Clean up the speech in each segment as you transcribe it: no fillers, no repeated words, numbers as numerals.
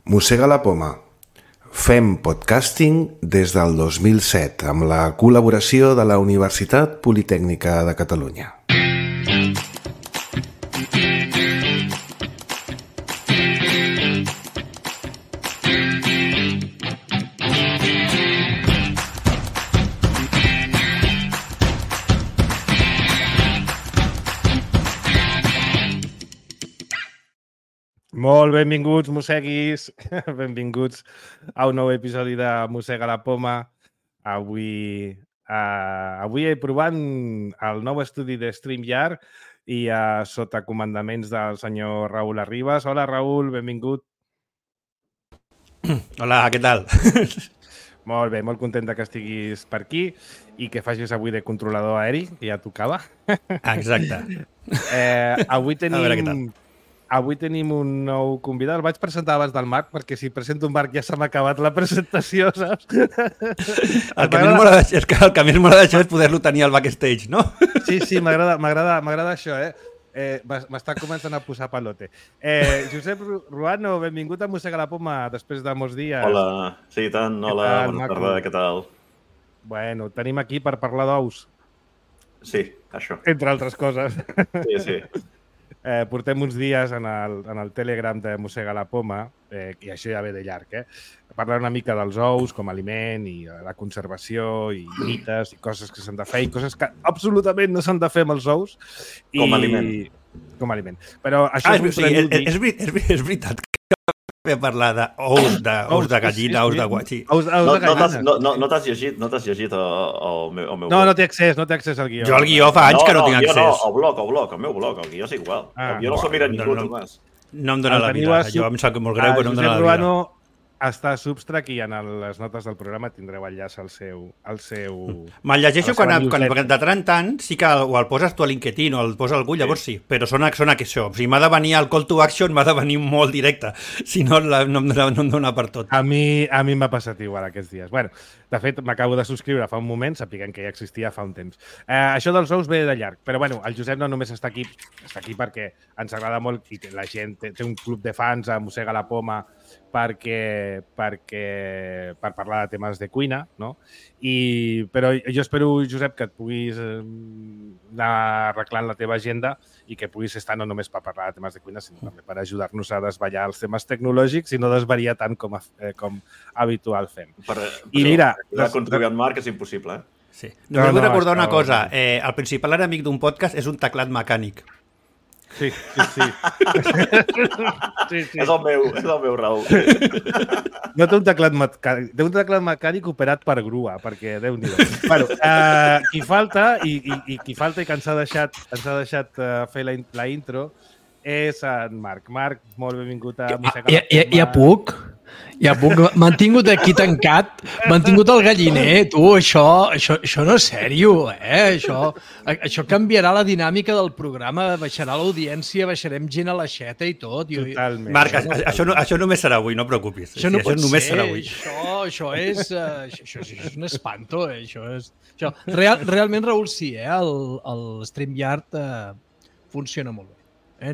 Mossega la poma. Fem podcasting des del 2007 amb la col·laboració de la Universitat Politècnica de Catalunya. Molt benvinguts, mosseguis. Benvinguts a un nou episodi de Mossega la poma. Avui provant el nou estudi de StreamYard i sota comandaments del senyor Raül Arribas. Hola, Raül, benvingut. Hola, què tal? Molt bé, molt content que estiguis per aquí i que facis avui de controlador aeri, que ja tocava. Exacte. Avui tenim un nou convidat. El vaig presentar abans del Marc, perquè si presento un Marc ja s'ha acabat la presentació, saps? El que més m'agrada d'això és poder-lo tenir al backstage, no? Sí, m'agrada això, m'està començant a posar palote. Josep Ruano, benvingut a Mossega la poma després de molts dies. Hola, sí, tant. Hola, bona tarda, què tal? Bueno, tenim aquí per parlar d'ous. Sí, això. Entre altres coses. Sí. Portem uns dies en el Telegram de Mossega la poma, i això ja ve de llarg, parlar una mica dels ous com a aliment i la conservació i mites i coses que s'han de fer i coses que absolutament no s'han de fer amb els ous. Com a aliment. Com a aliment. Però això és veritat que parlar d'ous de gallina, ous de guatxí. No t'has llegit el meu... No té accés al guió. Jo al guió fa anys que no tinc accés. El meu blog, el guió és igual. Jo no s'ho mira ningú, Tomàs. No em dóna la vida. Jo em sap molt greu, però no em dóna la vida. Ruano està a Substack i en les notes del programa tindreu enllaç al seu... Me'l llegeixo quan de tant en tant sí que o el poses tu a LinkedIn o el posa algú, llavors sí, però sona que això. O sigui, m'ha de venir el call to action, m'ha de venir molt directe. Si no, no em dóna per tot. A mi m'ha passat igual aquests dies. Bueno, de fet, m'acabo de subscriure fa un moment, sapiguem que ja existia fa un temps. Això dels ous ve de llarg, però bueno, el Josep no només està aquí perquè ens agrada molt i la gent té un club de fans a Mossega la poma per parlar de temes de cuina, no? Però jo espero, Josep, que et puguis anar arreglant la teva agenda i que puguis estar no només per parlar de temes de cuina, sinó també per ajudar-nos a desvetllar els temes tecnològics i no desvariar tant com habitual fem. I mira... contribuir en Marc és impossible, Sí. Només vull recordar una cosa. El principal enemic d'un podcast és un teclat mecànic. Sí. És el meu, Raül. No té un teclat mecànic, té un teclat mecànic operat per grua, perquè Déu-n'hi-do. Bueno, qui falta i que ens ha deixat fer la intro és en Marc. Marc, molt benvingut a Mossega la poma. Ja puc. M'han tingut aquí tancat, m'han tingut al galliner, tu, això no és sèrio, Això canviarà la dinàmica del programa, baixarà l'audiència, baixarem gent a l'aixeta i tot. Totalment. Marc, això només serà avui, no et preocupis. Això no pot només ser, serà avui. Això és un espanto, Realment, Raül, sí, el StreamYard funciona molt bé.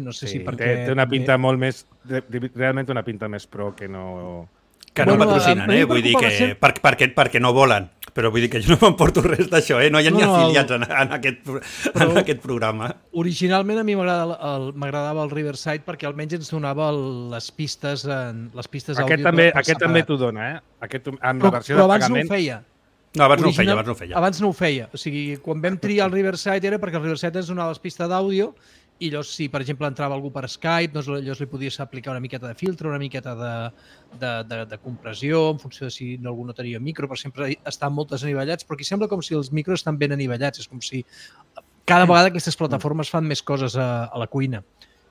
No sé si perquè... Té una pinta molt més... Realment una pinta més pro que no... Que no patrocinen, Vull dir que... Perquè no volen. Però vull dir que jo no m'emporto res d'això, No hi ha ni afiliats en aquest programa. Originalment a mi m'agradava el Riverside perquè almenys ens donava les pistes àudio. Aquest també t'ho dona, Amb la versió de pagament... Però abans no ho feia. No, abans no ho feia. O sigui, quan vam triar el Riverside era perquè el Riverside ens donava les pistes d'àudio i llavors, si, per exemple, entrava algú per Skype, doncs llavors li podies aplicar una miqueta de filtre, una miqueta de compressió, en funció de si algú no tenia micro, per sempre estan moltes anivellats, però aquí sembla com si els micros estan ben anivellats, és com si cada vegada aquestes plataformes fan més coses a la cuina.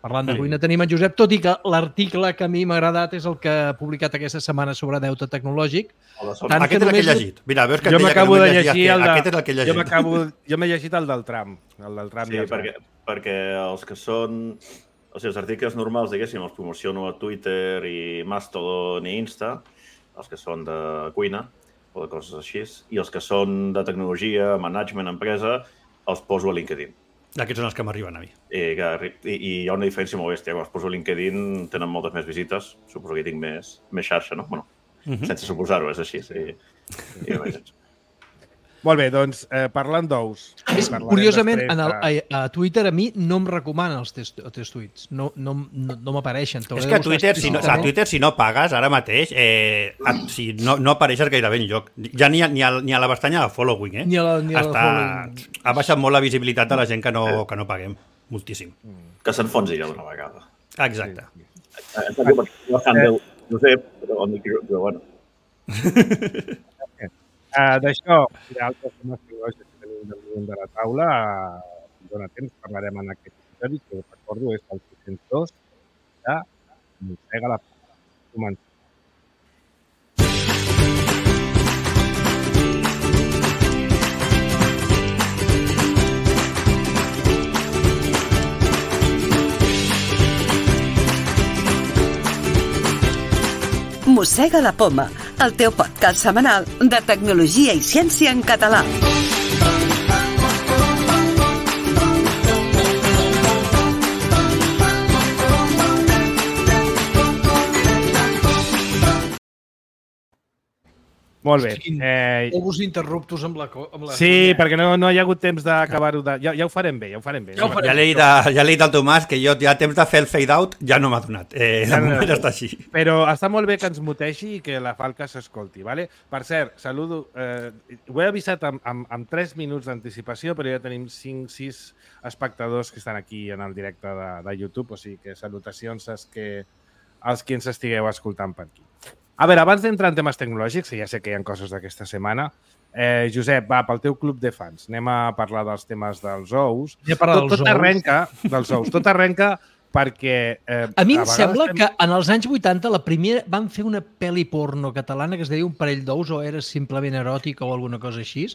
Parlant de cuina tenim en Josep, tot i que l'article que a mi m'ha agradat és el que ha publicat aquesta setmana sobre deute tecnològic. Aquest és el que he llegit. Mira, veus que jo m'acabo de llegir aquest és el que he llegit. Jo m'he llegit el del tram. Sí, perquè els que són... O sigui, els articles normals, diguéssim, els promociono a Twitter i Mastodon i Insta, els que són de cuina o de coses així, i els que són de tecnologia, management, empresa, els poso a LinkedIn. Aquests són els que m'arriben a mi. I hi ha una diferència molt bèstia. Quan es poso a LinkedIn tenen moltes més visites. Suposo que hi tinc més xarxa, no? Bueno, sense suposar-ho, és així. Molt bé, doncs, parlant d'ous... Curiosament, a Twitter a mi no em recomanen els teus tuits. No m'apareixen. És que a Twitter, si no pagues ara mateix, no apareixes gairebé enlloc. Ja ni a la pestanya de following, Ni a la following. Ha baixat molt la visibilitat de la gent que no paguem. Moltíssim. Que s'enfonsi ja d'una vegada. Exacte. Josep, però bueno. D'això i d'altres temes tecnològics que tenim damunt de la taula, dona temps, parlarem en aquest episodi, que recordo és el 602 de Mossega la Poma. Comencem. Mossega la Poma, el teu podcast setmanal de tecnologia i ciència en català. Molt bé. Ovos interruptos amb la... Sí, perquè no hi ha hagut temps d'acabar-ho de... Ja ho farem bé, Ja l'he dit al Tomàs que jo ja temps de fer el fade-out ja no m'ha donat. De moment està així. Però està molt bé que ens mutegi i que la falca s'escolti, ¿vale? Per cert, saludo... Ho he avisat amb 3 minuts d'anticipació, però ja tenim 5-6 espectadors que estan aquí en el directe de YouTube, o sigui que salutacions als qui ens estigueu escoltant per aquí. A veure, abans d'entrar en temes tecnològics, que ja sé que hi ha coses d'aquesta setmana, Josep, va, pel teu club de fans, anem a parlar dels temes dels ous. Tot arrenca dels ous. Tot arrenca perquè... A mi em sembla que en els anys 80 la primera van fer una pel·li porno catalana que es deia Un parell d'ous o era simplement eròtica o alguna cosa així.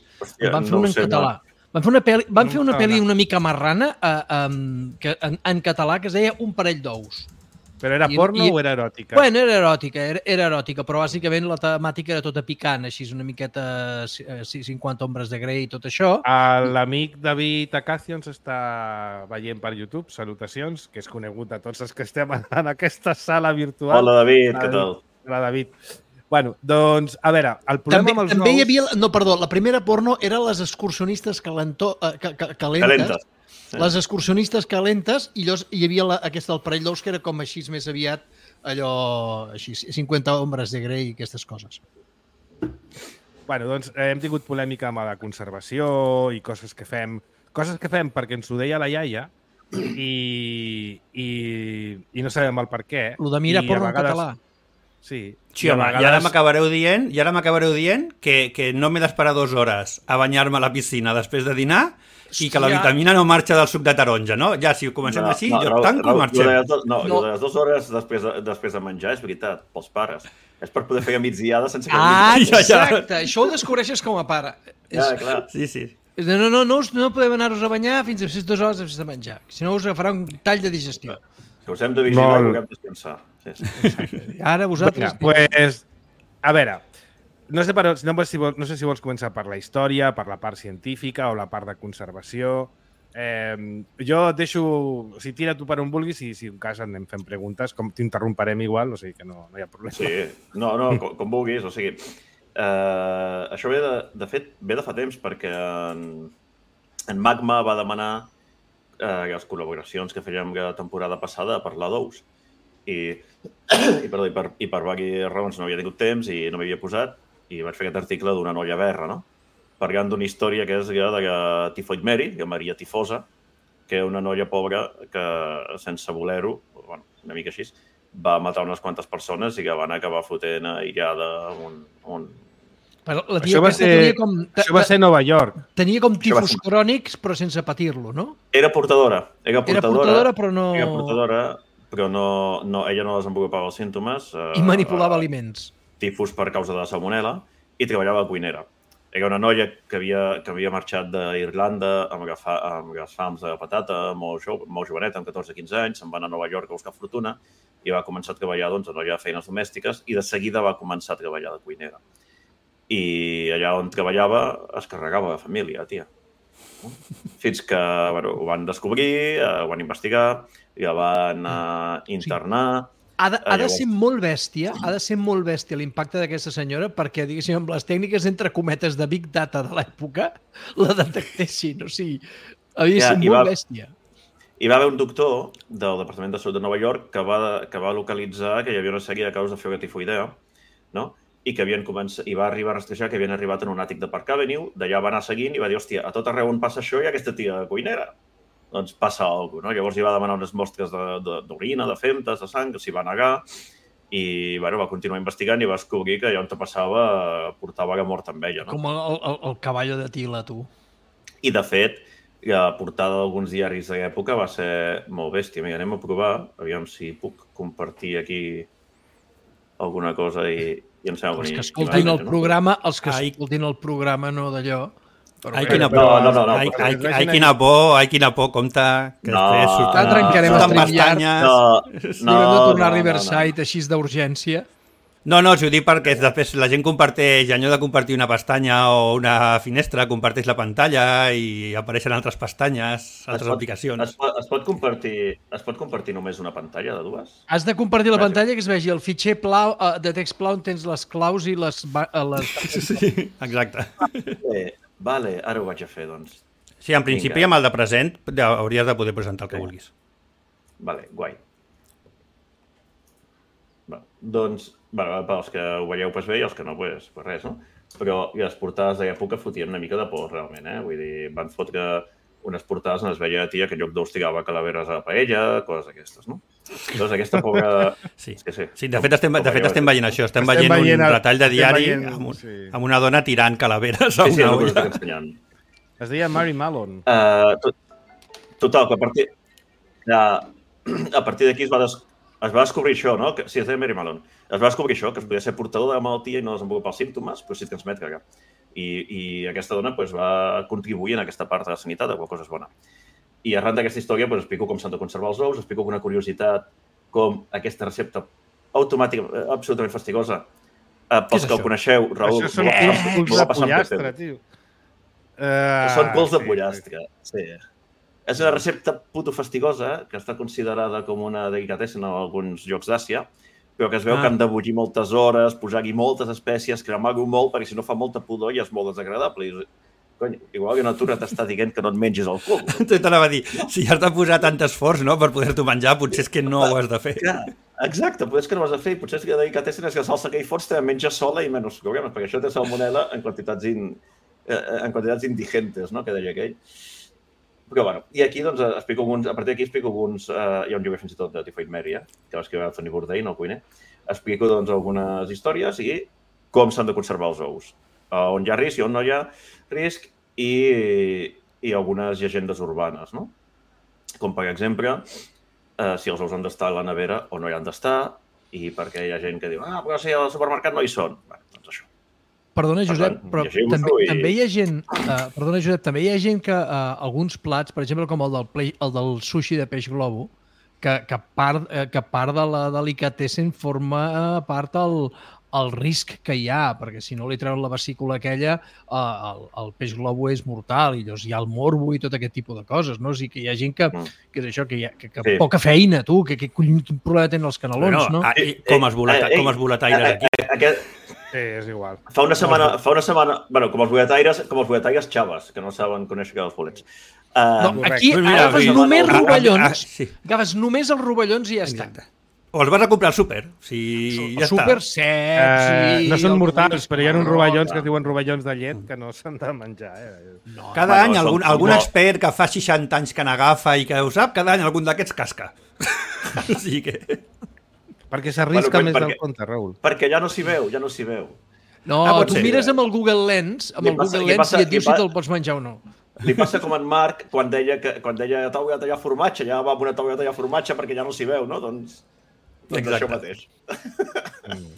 Van fer una en català. Van fer una pel·li una mica marrana en català que es deia Un parell d'ous. Però era porno o era eròtica? Bueno, era eròtica, però bàsicament la temàtica era tota picant, així una miqueta 50 ombres de Grey i tot això. L'amic David Acacio ens està veient per YouTube, salutacions, que és conegut de tots els que estem en aquesta sala virtual. Hola, David, què tal? Hola, David. Bueno, doncs, a veure, el problema amb els també hi havia... No, perdó, la primera porno era les excursionistes calentes. Les excursionistes calentes i hi havia aquesta del parell d'ous que era com així més aviat allò, així, 50 ombres de Grey i aquestes coses. Bueno, doncs hem tingut polèmica amb la conservació i coses que fem perquè ens ho deia la iaia i no sabem el per què. Lo de mirar porno en català. Sí. Sí, home, i ara m'acabareu dient que no m'he d'esperar 2 hores a banyar-me a la piscina després de dinar i que la vitamina no marxa del suc de taronja, no? Ja, si ho comencem així, jo tanco i marxem. Jo de les 2 hores després de menjar, és veritat, pels pares. És per poder fer migdiada sense que... Exacte, això ho descobreixes com a pare. Ja, clar. Sí. No podem anar-nos a banyar fins a 2 hores després de menjar, si no us agafarà un tall de digestió. Que us hem de vigilar i us hem de descansar. Ara vosaltres... Pues, a veure, no sé si vols començar per la història, per la part científica o la part de conservació. Jo et deixo... O sigui, tira tu per on vulguis i si en cas anem fent preguntes, com t'interromperem igual, o sigui que no hi ha problema. Sí, com vulguis, o sigui... Això ve de fa temps perquè en Magma va demanar les col·laboracions que fèiem la temporada passada a parlar d'ous. I per diverses raons no havia tingut temps i no m'havia posat i vaig fer aquest article d'una noia verra, no? Parlant d'una història que és de la Tifoid Mary, la Maria Tifosa, que és una noia pobra que, sense voler-ho, una mica així, va matar unes quantes persones i que van acabar fotent aïllada Això va ser a Nova York. Tenia com tifus crònics, però sense patir-lo, no? Era portadora, però no... Era portadora, però ella no desenvolupava els símptomes. I manipulava aliments. Tifus per causa de la salmonel·la i treballava a cuinera. Era una noia que havia marxat d'Irlanda amb les fams de patata, molt joveneta, amb 14-15 anys, se'n va anar a Nova York a buscar fortuna i va començar a treballar en allà feines domèstiques i de seguida va començar a treballar de cuinera. I allà on treballava es carregava la família, tia. Fins que ho van descobrir, ho van investigar, i el van internar. Ha de ser molt bèstia, l'impacte d'aquesta senyora perquè, diguéssim, amb les tècniques entre cometes de Big Data de l'època la detectessin. O sigui, havia de ser molt bèstia. Hi va haver un doctor del Departament de Salut de Nova York que va localitzar que hi havia una sèrie de casos de febre tifoidea, no? I que i va arribar a rastrejar que havien arribat en un àtic de Park Avenue, d'allà va anar seguint i va dir, hòstia, a tot arreu on passa això hi ha aquesta tia cuinera. Doncs passa alguna cosa, no? Llavors hi va demanar unes mostres d'orina, de femtes, de sang, que s'hi va negar, i va continuar investigant i va descobrir que allà on te passava portava la mort amb ella, no? Com el cavallo de Tila, tu. I, de fet, la portada d'alguns diaris de l'època va ser molt bèstia. Mira, anem a provar, aviam si puc compartir aquí alguna cosa i ens fem Els que escoltin el programa, el programa, no d'allò. Ai, quina por, ai, quina por, compte, que després surten pestanyes. Haurem de tornar a Riverside així d'urgència. No, si ho dic perquè després la gent comparteix, allò de compartir una pestanya o una finestra, comparteix la pantalla i apareixen altres pestanyes, altres aplicacions. Es pot compartir només una pantalla de dues? Has de compartir la pantalla que es vegi el fitxer de text plau on tens les claus i les... Sí, exacte. Vale, ara ho vaig a fer, doncs. Sí, en principi amb el de present hauries de poder presentar el que vulguis. Vale, guai. Doncs, pels que ho veieu bé i els que no, pues res, no? Però les portades de l'època fotien una mica de por, realment, eh? Vull dir, van fotre unes portades on es veia tia que en lloc d'ous tirava calaveres a la paella, coses d'aquestes, no? Doncs aquesta pobra... Sí, de fet estem veient això, estem veient un retall de diari amb una dona tirant calaveres a una olla. Es deia Mary Malone. Total, que a partir d'aquí es va descobrir això, no? Sí, es deia Mary Malone. Es va descobrir això, que es podia ser portador de la malaltia i no desenvolupar els símptomes, però sí transmet cagar. I aquesta dona va contribuir en aquesta part de la sanitat, de qual cosa és bona. I arran d'aquesta història explico com s'han de conservar els ous, explico una curiositat, com aquesta recepta automàtica, absolutament fastigosa. Pels que el coneixeu, Raül... Això són culs de pollastre, tio. Són culs de pollastre, sí. És una recepta puto fastigosa, que està considerada com una delicatessen en alguns llocs d'Àsia, però que es veu que han de bullir moltes hores, posar-hi moltes espècies, cremar-ho molt, perquè si no fa molta pudor i és molt desagradable. Cony, igual que la natura t'està dient que no et mengis el cul. T'anava a dir, si has de posar tant esforç, no?, per poder-t'ho menjar, potser és que no ho has de fer. Exacte, potser és que no ho has de fer. Potser és que la delicatessen és que la salsa que hi fots te menja sola i menys problemes, perquè això té salmonel·la en quantitats indigentes, no?, que deia aquell. Però, bueno, i aquí, doncs, a partir d'aquí explico alguns... Hi ha un llibre fins i tot de Tifoid Mary, que va escriure Anthony Bourdain, el cuiner. Explico, doncs, algunes històries i com s'han de conservar els ous. On hi ha risc i on no hi ha risc i algunes llegendes urbanes, no? Com, per exemple, si els ous han d'estar a la nevera o no hi han d'estar i perquè hi ha gent que diu però si al supermercat no hi són. Bé, doncs això. Perdona, Josep, però també hi ha gent... Perdona, Josep, també hi ha gent que alguns plats, per exemple, com el del sushi de peix globo, que part de la delicatessen forma part el risc que hi ha, perquè si no li treuen la vesícula aquella, el peix globo és mortal i llavors hi ha el morbo i tot aquest tipus de coses, no? O sigui que hi ha gent que és això, que poca feina, tu, que quin problema tenen els canelons, no? Com es boletaires aquí. Sí, és igual. Fa una setmana, bueno, com els bulletaires xaves, que no saben conèixer els bolets. Aquí agafes només rovellons, agafes només els rovellons i ja està. O els vas a comprar al súper, si ja està. Súper secs. No són mortals, però hi ha uns rovellons que es diuen rovellons de llet que no s'han de menjar. Cada any algun expert que fa 60 anys que n'agafa i que ho sap, cada any algun d'aquests casca. O sigui que... Perquè s'arrisca més del compte, Raül. Perquè ja no s'hi veu. No, tu mires amb el Google Lens, i et diu si te'l pots menjar o no. Li passa com en Marc quan deia taula de tallar formatge, ja va amb una taula de tallar formatge perquè ja no s'hi veu, no? Doncs això mateix.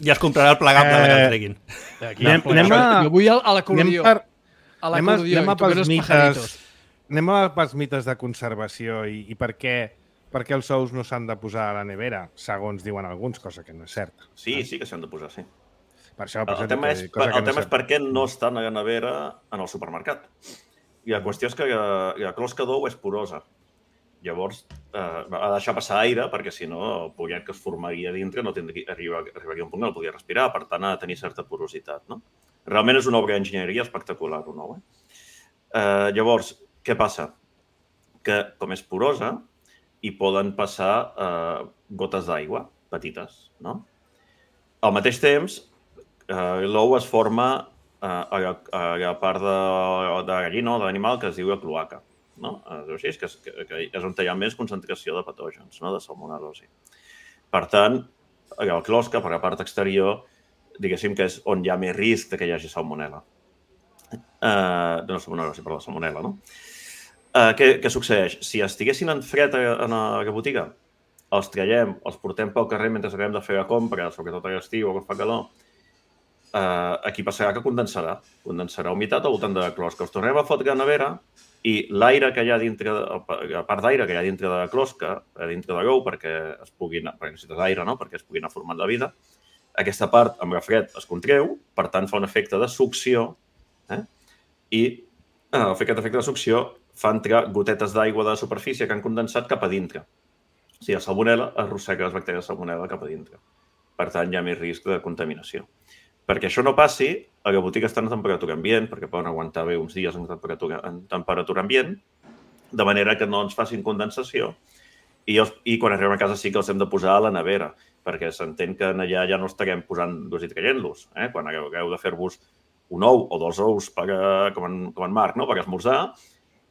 Ja es comprarà el plegable que el treguin. Jo vull a l'acordió. Anem pels mites de conservació i per què els ous no s'han de posar a la nevera, segons diuen alguns, cosa que no és certa. Sí que s'han de posar, sí. Per això, el tema és per què no estan a la nevera en el supermercat. I la qüestió és que la closca d'ou és porosa. Llavors, ha de deixar passar aire, perquè si no, el pollet que es formaria dintre no arribaria a un punt que no podia respirar, per tant, ha de tenir certa porositat. No? Realment és una obra d'enginyeria espectacular, un ou. Llavors, què passa? Que, com és porosa, hi poden passar gotes d'aigua petites. No? Al mateix temps, l'ou es forma a la part de gallina o de l'animal que es diu la cloaca. No? Que és on hi ha més concentració de patògens, no? De salmonel·losi. Per tant, la closca, per la part exterior, diguéssim que és on hi ha més risc que hi hagi salmonel·la. No salmonel·losi, però la salmonel·la, no? Què succeeix? Si estiguessin en fred a la botiga, els traiem, els portem pel carrer mentre acabem de fer la compra, sobretot a l'estiu o que fa calor, aquí passarà que condensarà humitat al voltant de la closca. Els tornem a fotre a la nevera i l'aire que hi ha dintre, la part d'aire que hi ha dintre de la closca, dintre de l'ou, perquè necessites aire, no? Perquè es pugui anar formant la vida, aquesta part amb el fred es contreu, per tant fa un efecte de succió, i aquest efecte de succió fa entrar gotetes d'aigua de la superfície que han condensat cap a dintre. O sigui, la salmonel·la arrossega les bactèries de salmonel·la cap a dintre. Per tant, hi ha més risc de contaminació. Perquè això no passi, a la botiga està en temperatura ambient, perquè poden aguantar bé uns dies en temperatura ambient, de manera que no ens facin condensació, i quan arribem a casa sí que els hem de posar a la nevera, perquè s'entén que allà ja no estarem posant-los i traient-los. Quan hagueu de fer-vos un ou o 2 ous com en Marc, per esmorzar,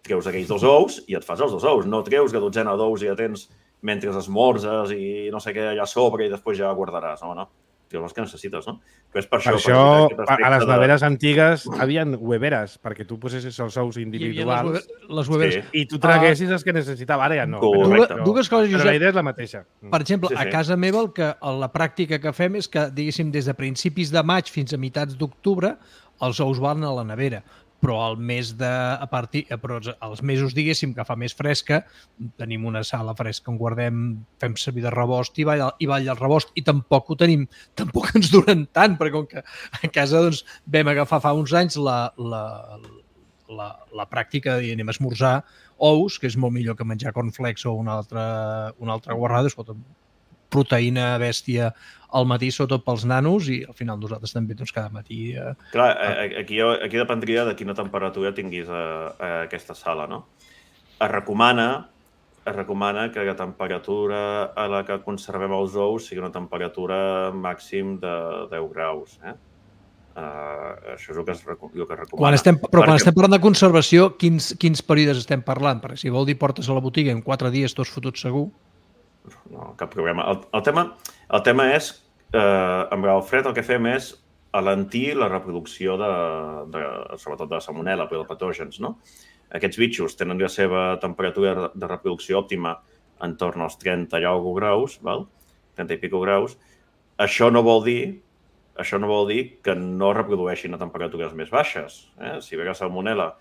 treus aquells 2 ous i et fas els 2 ous. No treus la dotzena d'ous i ja tens mentre esmorzes i no sé què allà a sobre i després ja guardaràs. No. Els que necessites, no? És per això a les neveres antigues havien hueveres, perquè tu posessis els ous individuals les hueveres. I tu traguessis els que necessitava. Ara ja no. Dues coses, Josep. Però la idea és la mateixa. Per exemple, a casa meva la pràctica que fem és que, diguéssim, des de principis de maig fins a meitats d'octubre, els ous van a la nevera. Però els mesos, diguéssim, que fa més fresca, tenim una sala fresca on guardem, fem servir de rebost i ball el rebost, i tampoc ens duren tant, perquè com que a casa vam agafar fa uns anys la pràctica de dir anem a esmorzar ous, que és molt millor que menjar cornflakes o una altra guarrada, proteïna bèstia al matí, sobretot pels nanos, i al final nosaltres també cada matí... Clar, aquí dependria de quina temperatura tinguis a aquesta sala, no? Es recomana que la temperatura a la que conservem els ous sigui una temperatura màxim de 10 graus. Això és el que es recomana. Quan estem parlant de conservació, quins períodes estem parlant? Perquè si vol dir portes a la botiga en 4 dies tots fotuts segur. No, cap problema. El tema és, amb el fred el que fem és alentir la reproducció sobretot de la salmonel·la, però de patògens, no? Aquests bitxos tenen la seva temperatura de reproducció òptima entorn als 30 i alguna graus, 30 i pico graus. Això no vol dir que no reprodueixin a temperatures més baixes. Si ve la salmonel·la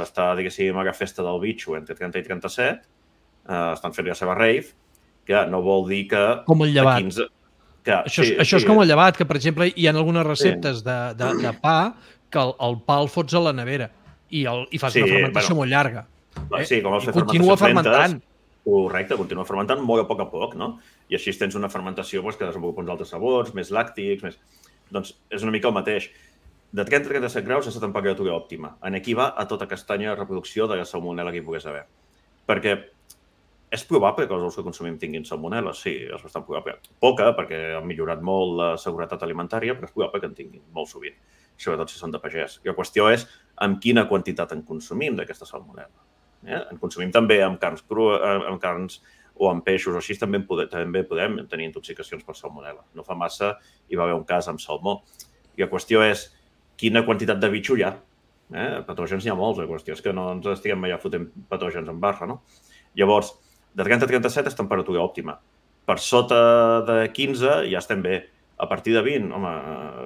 està, diguéssim, a la festa del bitxo entre 30 i 37, estan fent la seva rave, que no vol dir que... Com el llevat. Això és com el llevat, que, per exemple, hi ha algunes receptes de pa que el pa el fots a la nevera i fas una fermentació molt llarga. Sí, com els continua fermentant. Correcte, continua fermentant molt a poc, no? I així tens una fermentació que desenvolupa uns altres sabors, més làctics, Doncs és una mica el mateix. De 30 a 37 graus és la temperatura òptima. Aquí va a tota castanya de reproducció de la salmonel·la que hi pogués haver. Perquè és probable que els ous que consumim tinguin salmonel·la, sí, és bastant probable. Poca, perquè han millorat molt la seguretat alimentària, però és probable que en tinguin molt sovint, sobretot si són de pagès. I la qüestió és amb quina quantitat en consumim d'aquesta salmonel·la. En consumim també amb carns o amb peixos, o així també podem tenir intoxicacions per salmonel·la. No fa massa hi va haver un cas amb salmó. I la qüestió és quina quantitat de bitxo hi ha. Patògens n'hi ha molts, la qüestió és que no ens estiguem allà fotent patògens en barra, no? Llavors, de 30 a 37 és temperatura òptima. Per sota de 15 ja estem bé. A partir de 20, home,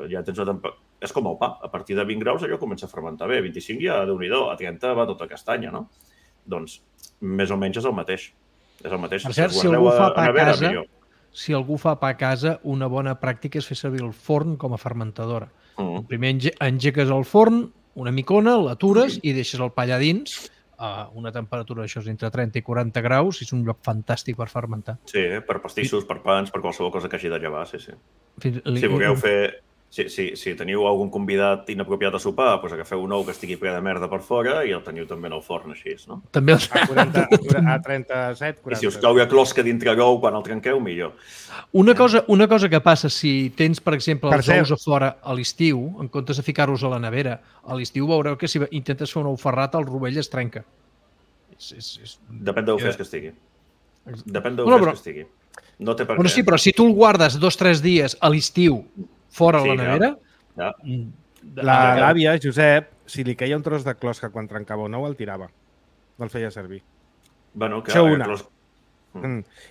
ja tens una temperatura... És com el pa. A partir de 20 graus allò comença a fermentar bé. 25 ja, Déu-n'hi-do, a 30 va tota castanya, no? Doncs, més o menys és el mateix. És el mateix. Per cert, si algú fa pa a casa, una bona pràctica és fer servir el forn com a fermentadora. Primer engegues el forn, una micona, l'atures i deixes el pa allà dins a una temperatura d'això entre 30 i 40 graus i és un lloc fantàstic per fermentar. Sí, per pastissos, per pans, per qualsevol cosa que hagi de llevar, sí. Si vulgueu fer... Si teniu algun convidat inapropiat a sopar, doncs agafeu un ou que estigui ple de merda per fora i el teniu també en el forn així, no? També a 37, 40. I si us cau la closca dintre l'ou quan el trenqueu, millor. Una cosa que passa, si tens, per exemple, els ous a fora a l'estiu, en comptes de ficar-los a la nevera, a l'estiu veureu que si intentes fer un ou ferrat, el rovell es trenca. Depèn d'ou fresc que estigui. Depèn d'ou fresc que estigui. No té per què. Sí, però si tu el guardes 2 o 3 dies a l'estiu fora la nevera... L'àvia, Josep, si li queia un tros de closca quan trencava un ou, el tirava. No el feia servir. Bueno, això una.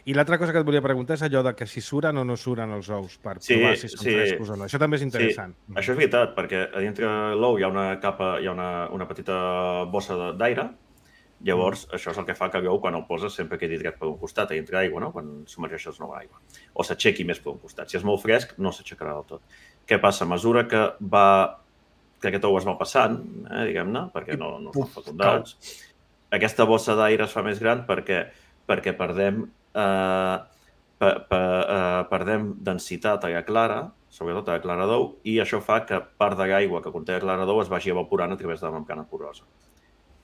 I l'altra cosa que et volia preguntar és allò de que si suren o no suren els ous per provar si són frescos o no. Això també és interessant. Sí, això és veritat, perquè a dintre l'ou hi ha una capa, hi ha una petita bossa d'aire. Llavors, això és el que fa que l'ou, quan el poses, sempre quedi dret per un costat, a dintre aigua, no? Quan submergeixes nova aigua. O s'aixequi més per un costat. Si és molt fresc, no s'aixecarà del tot. Què passa? A mesura que aquest ou es va passant, diguem-ne, perquè no són fecundats, aquesta bossa d'aire es fa més gran perquè perdem densitat a la clara, sobretot a la clara d'ou, i això fa que part de l'aigua que conté la clara d'ou es vagi evaporant a través de la membrana porosa.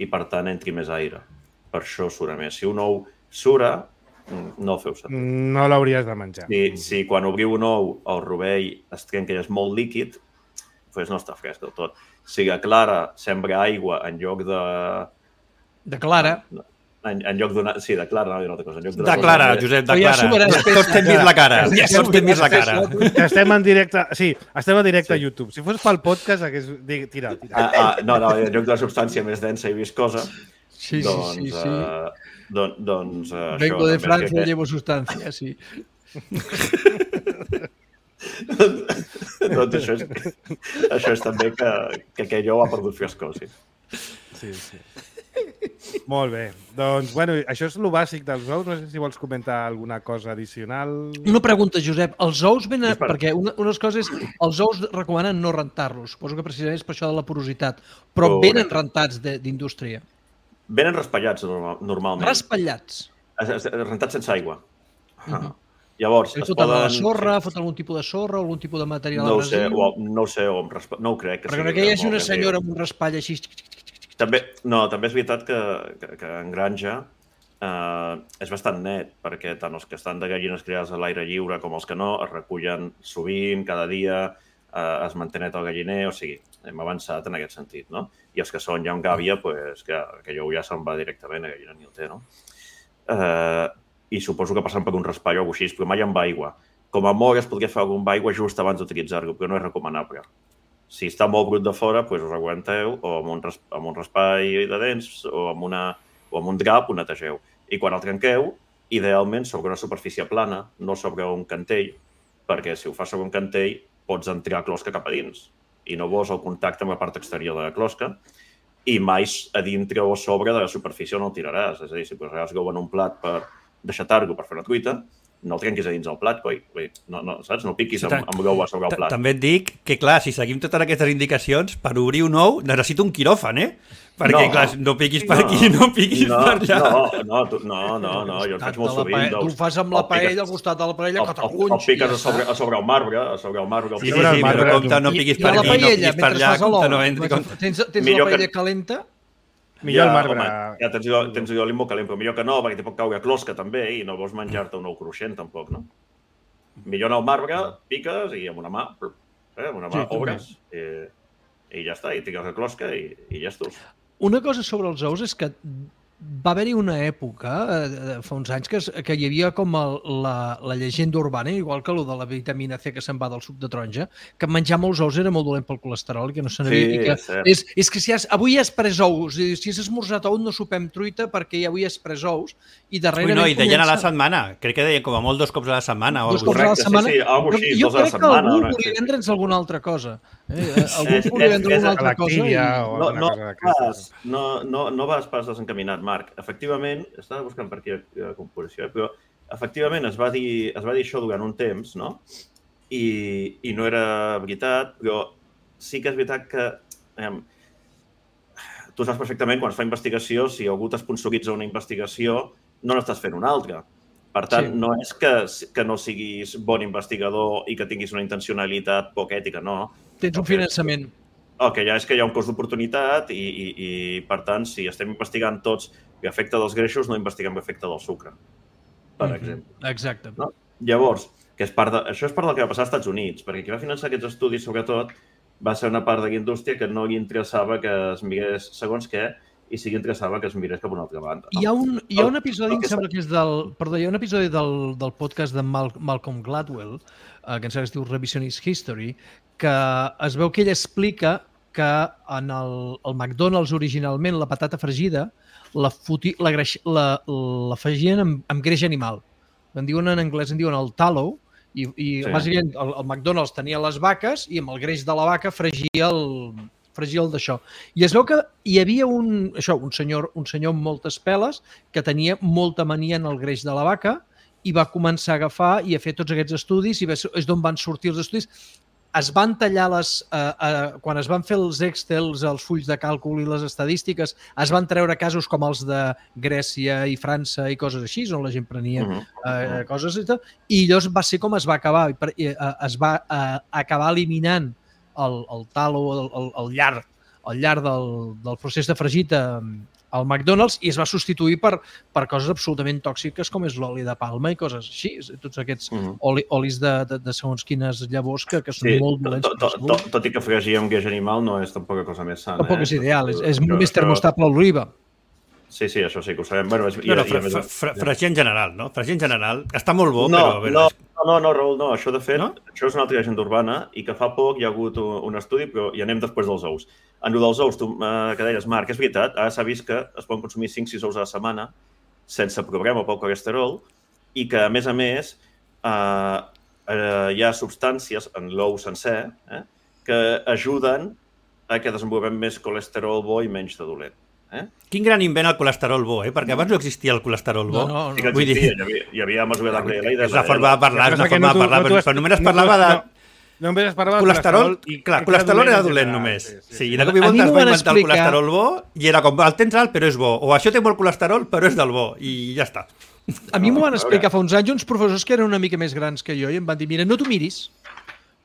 I, per tant, entri més aire. Per això sura més. Si un ou sura, no el feu servir. No l'hauries de menjar. Si quan obriu un ou el rovell es trenca i és molt líquid, doncs no està fresc del tot. Si la clara sembra aigua en lloc de... De clara. En lloc d'una... Sí, de clara, no diré una altra cosa. De clara, Josep, de clara. Tots t'hem vist la cara. Tots t'hem vist la cara. Estem en directe... Sí, estem en directe a YouTube. Si fos pel podcast, hagués... Tira. No, en lloc de la substància més densa i viscosa, doncs... Vengo de Francia, llevo sustancia, sí. Doncs això és també que aquell ou ha perdut frescor, sí. Sí. Molt bé. Doncs, bueno, això és el bàsic dels ous. No sé si vols comentar alguna cosa addicional. Una pregunta, Josep. Els ous venen... Perquè unes coses... Els ous recomanen no rentar-los. Suposo que precisament és per això de la porositat. Però venen rentats d'indústria. Venen raspallats, normalment. Raspallats? Rentats sense aigua. Llavors, es poden... la sorra, fot algun tipus de sorra, algun tipus de material abrasiu? No ho sé, no ho crec. Perquè no que hi hagi una senyora amb un raspall així... També és veritat que en granja és bastant net, perquè tant els que estan de gallines criades a l'aire lliure com els que no es recullen sovint, cada dia, es manté net el galliner, o sigui, hem avançat en aquest sentit, no? I els que són ja amb gàbia, doncs que aquell ou ja se'n va directament, a gallina ni el té, no? I suposo que passen per un raspall o alguna cosa així, però mai amb aigua. Com a molt es podria fer algun aigua just abans d'utilitzar-lo, però no és recomanable. Si està molt brut de fora, doncs us aguanteu, o amb un raspall de dents, o amb un drap, ho netegeu. I quan el trenqueu, idealment sobre una superfície plana, no sobre un cantell, perquè si ho fas sobre un cantell, pots entrar closca cap a dins. I no vols el contacte amb la part exterior de la closca, i mai a dintre o a sobre de la superfície no el tiraràs. És a dir, si posaràs l'ou en un plat per deixatar-lo per fer una truita, no el trenquis a dins del plat, saps? No piquis amb l'ou a sobre el plat. També et dic que, clar, si seguim totes aquestes indicacions, per obrir un ou necessito un quiròfan, Perquè, clar, no piquis per aquí, no piquis per allà. No, jo el faig molt sovint. Tu ho fas amb la paella, al costat de la paella, que t'agunys. El piques a sobre el marbre, Sí, però compte, no piquis per aquí, no piquis per allà, compte, no entri. Tens la paella calenta? Millor el marbre. Ja tens l'oli molt calent, però millor que no, perquè t'hi pot caure closca també i no vols menjar-te un ou cruixent tampoc, no? Millor en el marbre, piques i amb una mà obres i ja està, i tires la closca i llestos. Una cosa sobre els ous és que va haver-hi una època, fa uns anys, que hi havia com la llegenda urbana, igual que el de la vitamina C que se'n va del suc de taronja, que menjar molts ous era molt dolent pel colesterol i que no se n'havia... És que avui has pres ous, si has esmorzat ous no sopem truita perquè avui has pres ous i darrerament... No, i deien a la setmana, crec que deien com a molt 2 cops a la setmana. 2 cops a la setmana? Sí, alguna cosa així, 2 a la setmana. Jo crec que algú volia vendre'ns alguna altra cosa. Algú volia vendre alguna altra cosa. No vas pas desencaminat, Marc. Efectivament, estava buscant per aquí la composició, però efectivament es va dir això durant un temps, no? I no era veritat, però sí que és veritat que tu saps perfectament, quan es fa investigació, si algú t'esponsoritza una investigació, no n'estàs fent una altra. Per tant, no és que no siguis bon investigador i que tinguis una intencionalitat poc ètica, no. Tens un finançament. El que ja és que hi ha un cost d'oportunitat i, per tant, si estem investigant tots l'efecte dels greixos, no investiguem l'efecte del sucre, per exemple. Exacte. No? Llavors, això és part del que va passar als Estats Units, perquè qui va finançar aquests estudis, sobretot, va ser una part de la indústria que no li interessava que es mirés segons què i sí que interessava que es mirés cap a una altra banda. No? Hi ha un episodi, em sembla que és hi ha un episodi del podcast de Malcolm Gladwell, que em sembla que es diu Revisionist History, que es veu que ell explica que en el McDonald's originalment la patata fregida l'afegien amb greix animal. En anglès en diuen el tallow, i bàsicament el McDonald's tenia les vaques i amb el greix de la vaca fregia el d'això. I es veu que hi havia un senyor amb moltes peles que tenia molta mania en el greix de la vaca i va començar a agafar i a fer tots aquests estudis i és d'on van sortir els estudis. Es van tallar quan es van fer els Excels, els fulls de càlcul i les estadístiques, es van treure casos com els de Grècia i França i coses així, on la gent prenia coses i tal, i llavors va ser com es va acabar. Es va acabar eliminant el talo, el llarg del procés de fregit al McDonald's i es va substituir per coses absolutament tòxiques com és l'oli de palma i coses així, tots aquests olis de segons quines llavors que són molt dolents. Tot i que fregir amb greix animal no és tampoc cosa més sana. Tampoc és ideal, és més termostable l'oliva. Sí, això sí que ho sabem. Fregir en general, no? Fregir en general està molt bo, però... No, Raül, no. Això, de fet, això és una altra llegenda urbana i que fa poc hi ha hagut un estudi, però hi anem després dels ous. En el dels ous, tu que deies, Marc, és veritat, ara s'ha vist que es poden consumir 5-6 ous a la setmana sense problema pel colesterol i que, a més, hi ha substàncies en l'ou sencer que ajuden a que desenvolupem més colesterol bo i menys de dolent. Quin gran invent el colesterol bo, perquè abans no existia el colesterol bo. Sí que existia, hi havia mesura d'HDL i és la forma de parlar, però només es parlava de... Només es parlava de colesterol. Clar, colesterol era dolent només. Sí, i de cop i volta es va inventar el colesterol bo i era com, el tens alt però és bo, o això té molt colesterol però és del bo, i ja està. A mi m'ho van explicar fa uns anys uns professors que eren una mica més grans que jo i em van dir, mira, no t'ho miris,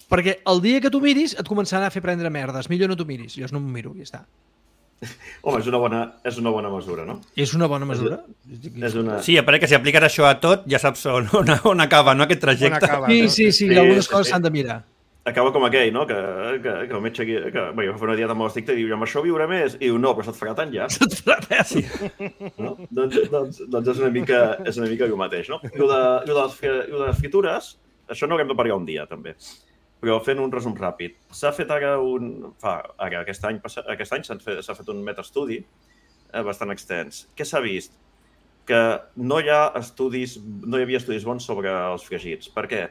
perquè el dia que t'ho miris et començaran a fer prendre merdes, millor no t'ho miris. Jo no m'ho miro i ja està. Home, és una bona mesura, no? És una bona mesura? Sí, a part que si apliques això a tot, ja saps on acaba, no, aquest trajecte. Sí, algunes coses s'han de mirar. Acaba com aquell, no? Que el metge aquí... Jo fa una dieta molt estricta i diu, amb això viuré més? I diu, no, però se't farà tant ja. Se't farà tant, sí. Doncs és una mica el mateix, no? I de les fritures, això no haurem de parlar un dia, també. Però fent un resum ràpid, s'ha fet ara aquest any s'ha fet un metaestudi bastant extens. Què s'ha vist? Que no hi havia estudis bons sobre els fregits. Per què?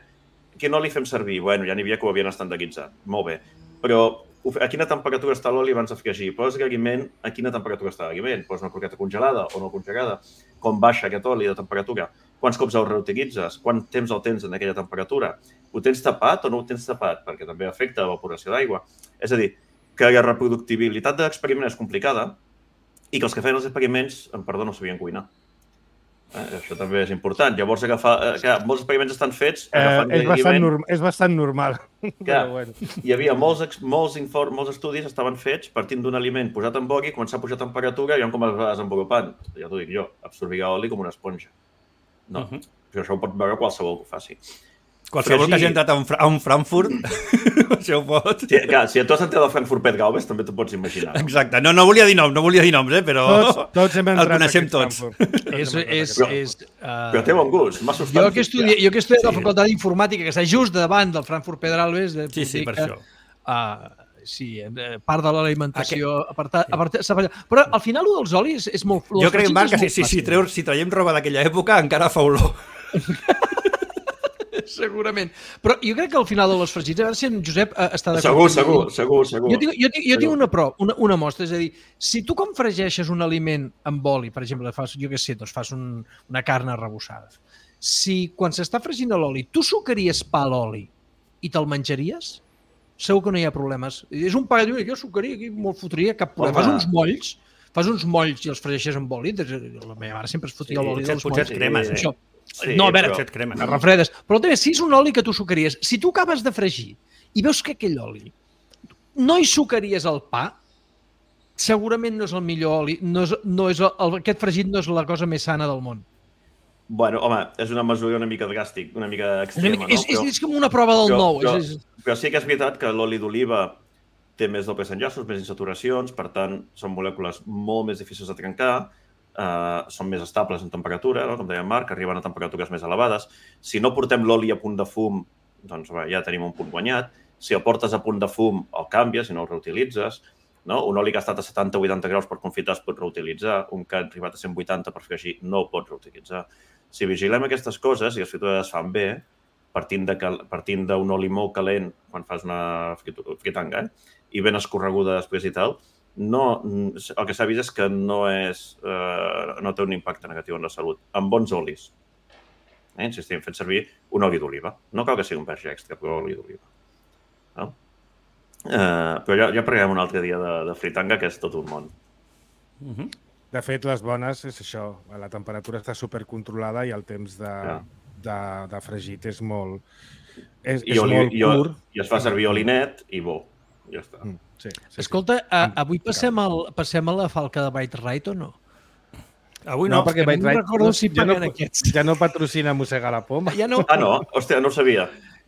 Que no li fem servir? Bueno, ja n'hi havia que ho havien estandarditzat. Molt bé. Però a quina temperatura està l'oli abans de fregir? Poses l'aliment, a quina temperatura està l'aliment? Poses una croqueta congelada o no congelada? Com baixa aquest oli de temperatura? Quants cops el reutilitzes? Quant temps el tens en aquella temperatura? Ho tens tapat o no ho tens tapat? Perquè també afecta l'evaporació d'aigua. És a dir, que la reproductibilitat de l'experiment és complicada i que els que feien els experiments, no sabien cuinar. Això també és important. Llavors, molts experiments estan fets... És bastant normal. Hi havia molts estudis estaven fets partint d'un aliment posat en oli, començar a pujar temperatura i com es va desenvolupant. Ja t'ho dic jo, absorbirà oli com una esponja. No, però això ho pot veure qualsevol que ho faci. Qualsevol que hagi entrat a un Frankfurt, això ho pot. Si tu has entrat al Frankfurt Pet Galvez, també t'ho pots imaginar. Exacte, no volia dir noms, però el coneixem tots. Però té bon gust, m'ha assustat. Jo que he estudiat a la Facultat d'Informàtica, que està just davant del Frankfurt Pet Galvez, sí, per això. Sí, part de l'alimentació... Però al final el dels olis és molt... Jo crec, Marc, que si traiem roba d'aquella època encara fa olor. Segurament. Però jo crec que al final de les fregits, a veure si en Josep està d'acord. Segur. Jo tinc una mostra, és a dir, si tu com fregeixes un aliment amb oli, per exemple, fas una carn arrebossada, si quan s'està fregint l'oli tu sucaries pa a l'oli i te'l menjaries? segur que no hi ha problemes. És un pa, jo sucaria aquí, me'l fotria cap problema. Fas uns molls i els fregeixes amb oli. La meva mare sempre es fotia l'oli dels molls. Potser et cremes, Això. No, a veure, potser et cremes. es refredes. Però també, si és un oli que tu sucaries, si tu acabes de fregir i veus que aquell oli no hi sucaries el pa, segurament no és el millor oli, aquest fregit no és la cosa més sana del món. Bueno, home, és una mesura una mica dràstica, una mica extrema, no? És com una prova del nou. Però sí que és veritat que l'oli d'oliva té més dobles enllaços, més insaturacions, per tant, són molècules molt més difícils de trencar, són més estables en temperatura, no? Com deia Marc, arriben a temperatures més elevades. Si no portem l'oli a punt de fum, doncs ja tenim un punt guanyat. Si el portes a punt de fum, el canvies i no el reutilitzes. No? Un oli que ha estat a 70 o 80 graus per confitar es pot reutilitzar, un que ha arribat a 180 per fregir no el pots reutilitzar. Si vigilem aquestes coses i les fritures es fan bé, partint d'un oli molt calent quan fas una fritanga, i ben escorreguda després i tal, el que s'ha vist és que no té un impacte negatiu en la salut. Amb bons olis. Insistim, fent servir un oli d'oliva. No cal que sigui un verge extra, però oli d'oliva. No? Però ja parlarem un altre dia de fritanga, que és tot un món. De fet, les bones és això. La temperatura està supercontrolada i el temps de fregit és molt curt. I es fa servir oli net i bo. Ja està. Sí. Escolta, avui passem a la falca de Byte Right o no? Avui no, perquè Byte Right ja no patrocina Mossega la Poma. Ja no. Ah, no? Hòstia, no ho sabia.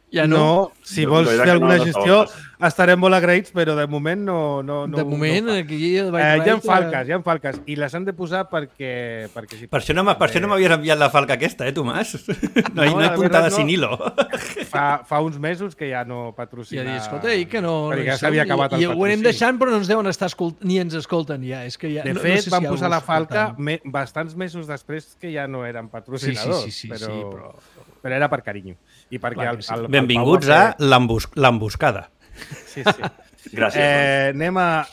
Ja no. Si vols fer alguna gestió, estarem molt agraïts, però de moment no. De moment, aquí... Hi ha falques, i les han de posar perquè per això no m'havies enviat la falca aquesta, Tomàs? No hi puntada sin hilo. Fa uns mesos que ja no patrocina... Ja dius, escolta, que no... Perquè ja s'havia acabat el patrocini. I ho anem deixant, però no ens deuen estar ni ens escolten ja. De fet, van posar la falca bastants mesos després que ja no eren patrocinadors. Sí, però era per carinyo. Benvinguts a l'emboscada. Sí. Gràcies. Anem a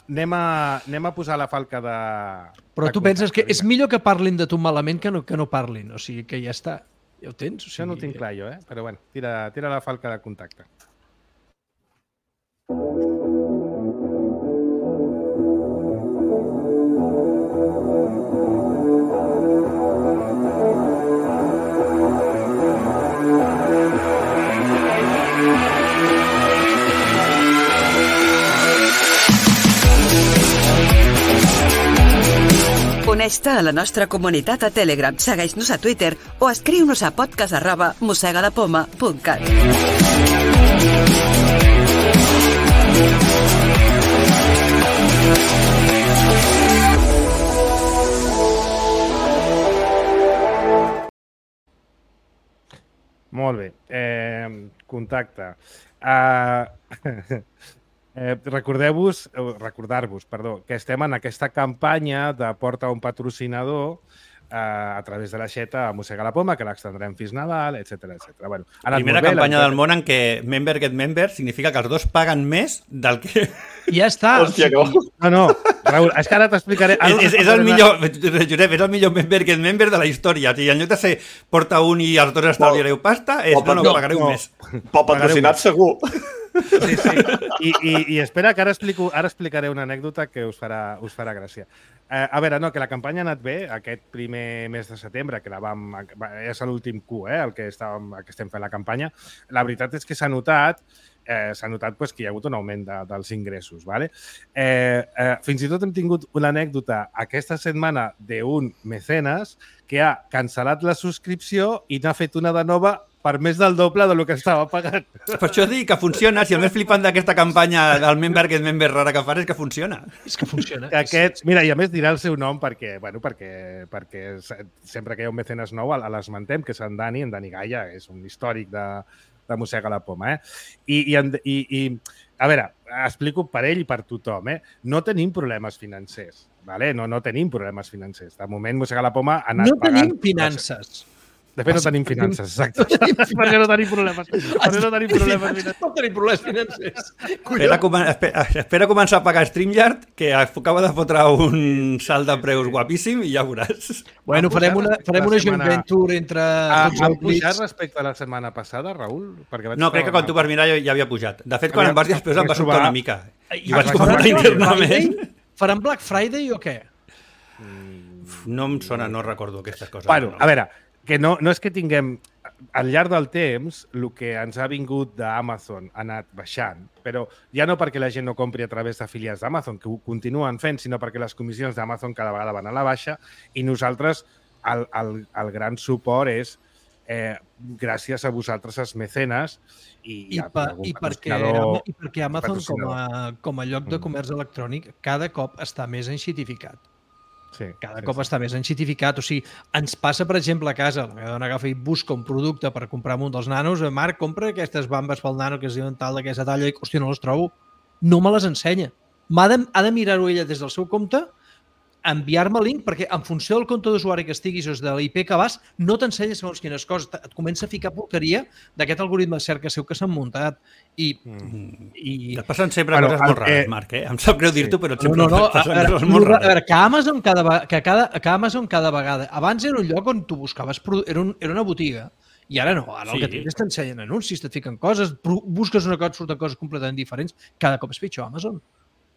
posar la falca de... Però tu penses que és millor que parlin de tu malament que no parlin. O sigui, que ja està. Ja ho tens? Això no ho tinc clar jo, però bueno, tira la falca de contacte. Uneix-te a la nostra comunitat a Telegram, segueix-nos a Twitter o escriu-nos a podcast@mossegalapoma.cat. Molt bé. Contacte. Recordar-vos, que estem en aquesta campanya de porta un patrocinador a través de l'aixeta a Mossega la Poma, que l'extendrem fins Nadal, etc. Bueno, primera campanya del món en què member get member significa que els dos paguen més del que... Ja està. Hòstia, no. No, Raül, és que ara t'explicaré... És el millor, Josep, és el millor member get member de la història. O sigui, en lloc de ser porta un i els dos estalviareu pasta, pagareu més. Pel patrocinat segur. Sí. I espera, que ara explicaré una anècdota que us farà gràcia. A veure, que la campanya ha anat bé aquest primer mes de setembre, que és l'últim Q, el que estem fent la campanya. La veritat és que s'ha notat que hi ha hagut un augment dels ingressos. Fins i tot hem tingut una anècdota aquesta setmana d'un mecenes que ha cancel·lat la subscripció i n'ha fet una de nova per més del doble del que estava pagant. Per això dic que funciona. Si el més flipant d'aquesta campanya del member get member rara que fas és que funciona. És que funciona. Mira, i a més dirà el seu nom perquè sempre que hi ha un mecenes nou l'esmentem, que és en Dani Gaia, és un històric de Mossega la Poma. I a veure, explico per ell i per tothom. No tenim problemes financers. No tenim problemes financers. De moment, Mossega la Poma ha anat pagant... No tenim finances. De fet, no tenim finances, exacte. Perquè no tenim problemes. Perquè no tenim problemes financers. No tenim problemes financers. Espera començar a pagar StreamYard, que acaba de fotre un salt de preus guapíssim i ja veuràs. Bueno, farem una joint venture entre tots Ha els pujat blitz. respecte a la setmana passada, Raül? No, crec que quan tu vas mirar ja havia pujat. De fet, quan em vas dir després em va sobtar una mica. I vaig Faran comentar internament. Faran Black Friday o què? No em sona, no recordo aquestes coses. Bueno, no. a veure, que no és que tinguem... Al llarg del temps, el que ens ha vingut d'Amazon ha anat baixant, però ja no perquè la gent no compri a través d'afiliats d'Amazon, que ho continuen fent, sinó perquè les comissions d'Amazon cada vegada van a la baixa i nosaltres el gran suport és gràcies a vosaltres, els mecenes, I perquè Amazon, com a lloc de comerç electrònic, cada cop està més enxitificat. Cada cop està més enxitificat. O sigui, ens passa, per exemple, a casa, la meva dona agafa i busca un producte per comprar un dels nanos, Marc, compra aquestes bambes pel nano que es diuen tal d'aquesta talla, i, hòstia, no les trobo. No me les ensenya. Ha de mirar-ho ella des del seu compte, enviar-me el link, perquè en funció del compte d'usuari que estiguis o de l'IP que vas, no t'ensenya segons quines coses. Et comença a ficar porqueria d'aquest algoritme de cerca seu que s'han muntat. I et passen sempre coses molt rares, Marc, Em sap greu dir-t'ho, però sempre passen coses molt rares. A veure, que Amazon cada vegada... Abans era un lloc on tu buscaves... Era una botiga. I ara no. Ara el que tens t'ensenyen anuncis, et fiquen coses, busques una cosa, et surten coses completament diferents. Cada cop és pitjor Amazon.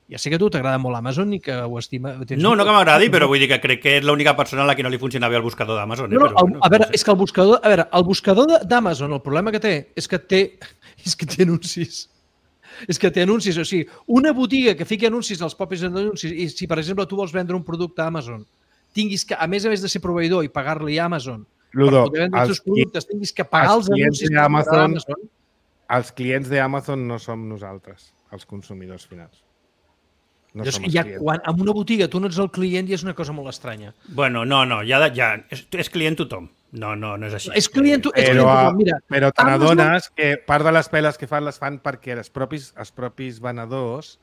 Ja sé que a tu t'agrada molt Amazon i que ho estima... No que m'agradi, però vull dir que crec que és l'única persona a la que no li funciona bé el buscador d'Amazon. A veure, és que el buscador d'Amazon, el problema que té és que té anuncis. És que té anuncis, o sigui, una botiga que fiqui anuncis als propis anuncis, i si, per exemple, tu vols vendre un producte a Amazon, tinguis que, a més de ser proveïdor i pagar-li a Amazon, Ludo, per poder vendre els teus productes, tinguis que pagar els anuncis d'Amazon. Els clients d'Amazon no som nosaltres, els consumidors finals. No en una botiga tu no ets el client i és una cosa molt estranya. Bueno, no, és client tothom. No és així. És client tothom, mira. Però te n'adones que part de les peles que fan les fan perquè els propis venedors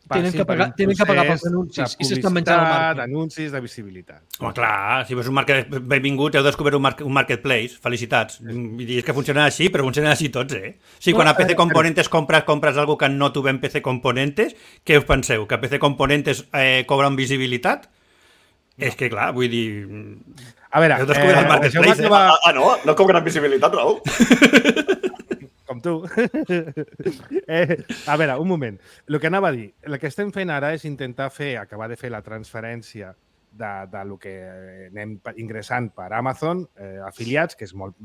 tenen que pagar pels anuncis i s'estan menjant el marc. D'anuncis, de visibilitat. Home, clar, si veus un market benvingut, heu descobert un marketplace. Felicitats. Vull dir, és que funcionen així, però funcionen així tots, Sí, quan a PC Componentes compres algo que no tu ven PC Componentes, què us penseu? Que PC Componentes cobren visibilitat? És que, clar, vull dir... A veure... Heu descobert el marketplace, No cobren visibilitat, Raül? Com tu. A veure, un moment. El que anava a dir, el que estem fent ara és intentar acabar de fer la transferència de lo que anem ingressant per Amazon, afiliats, que és molt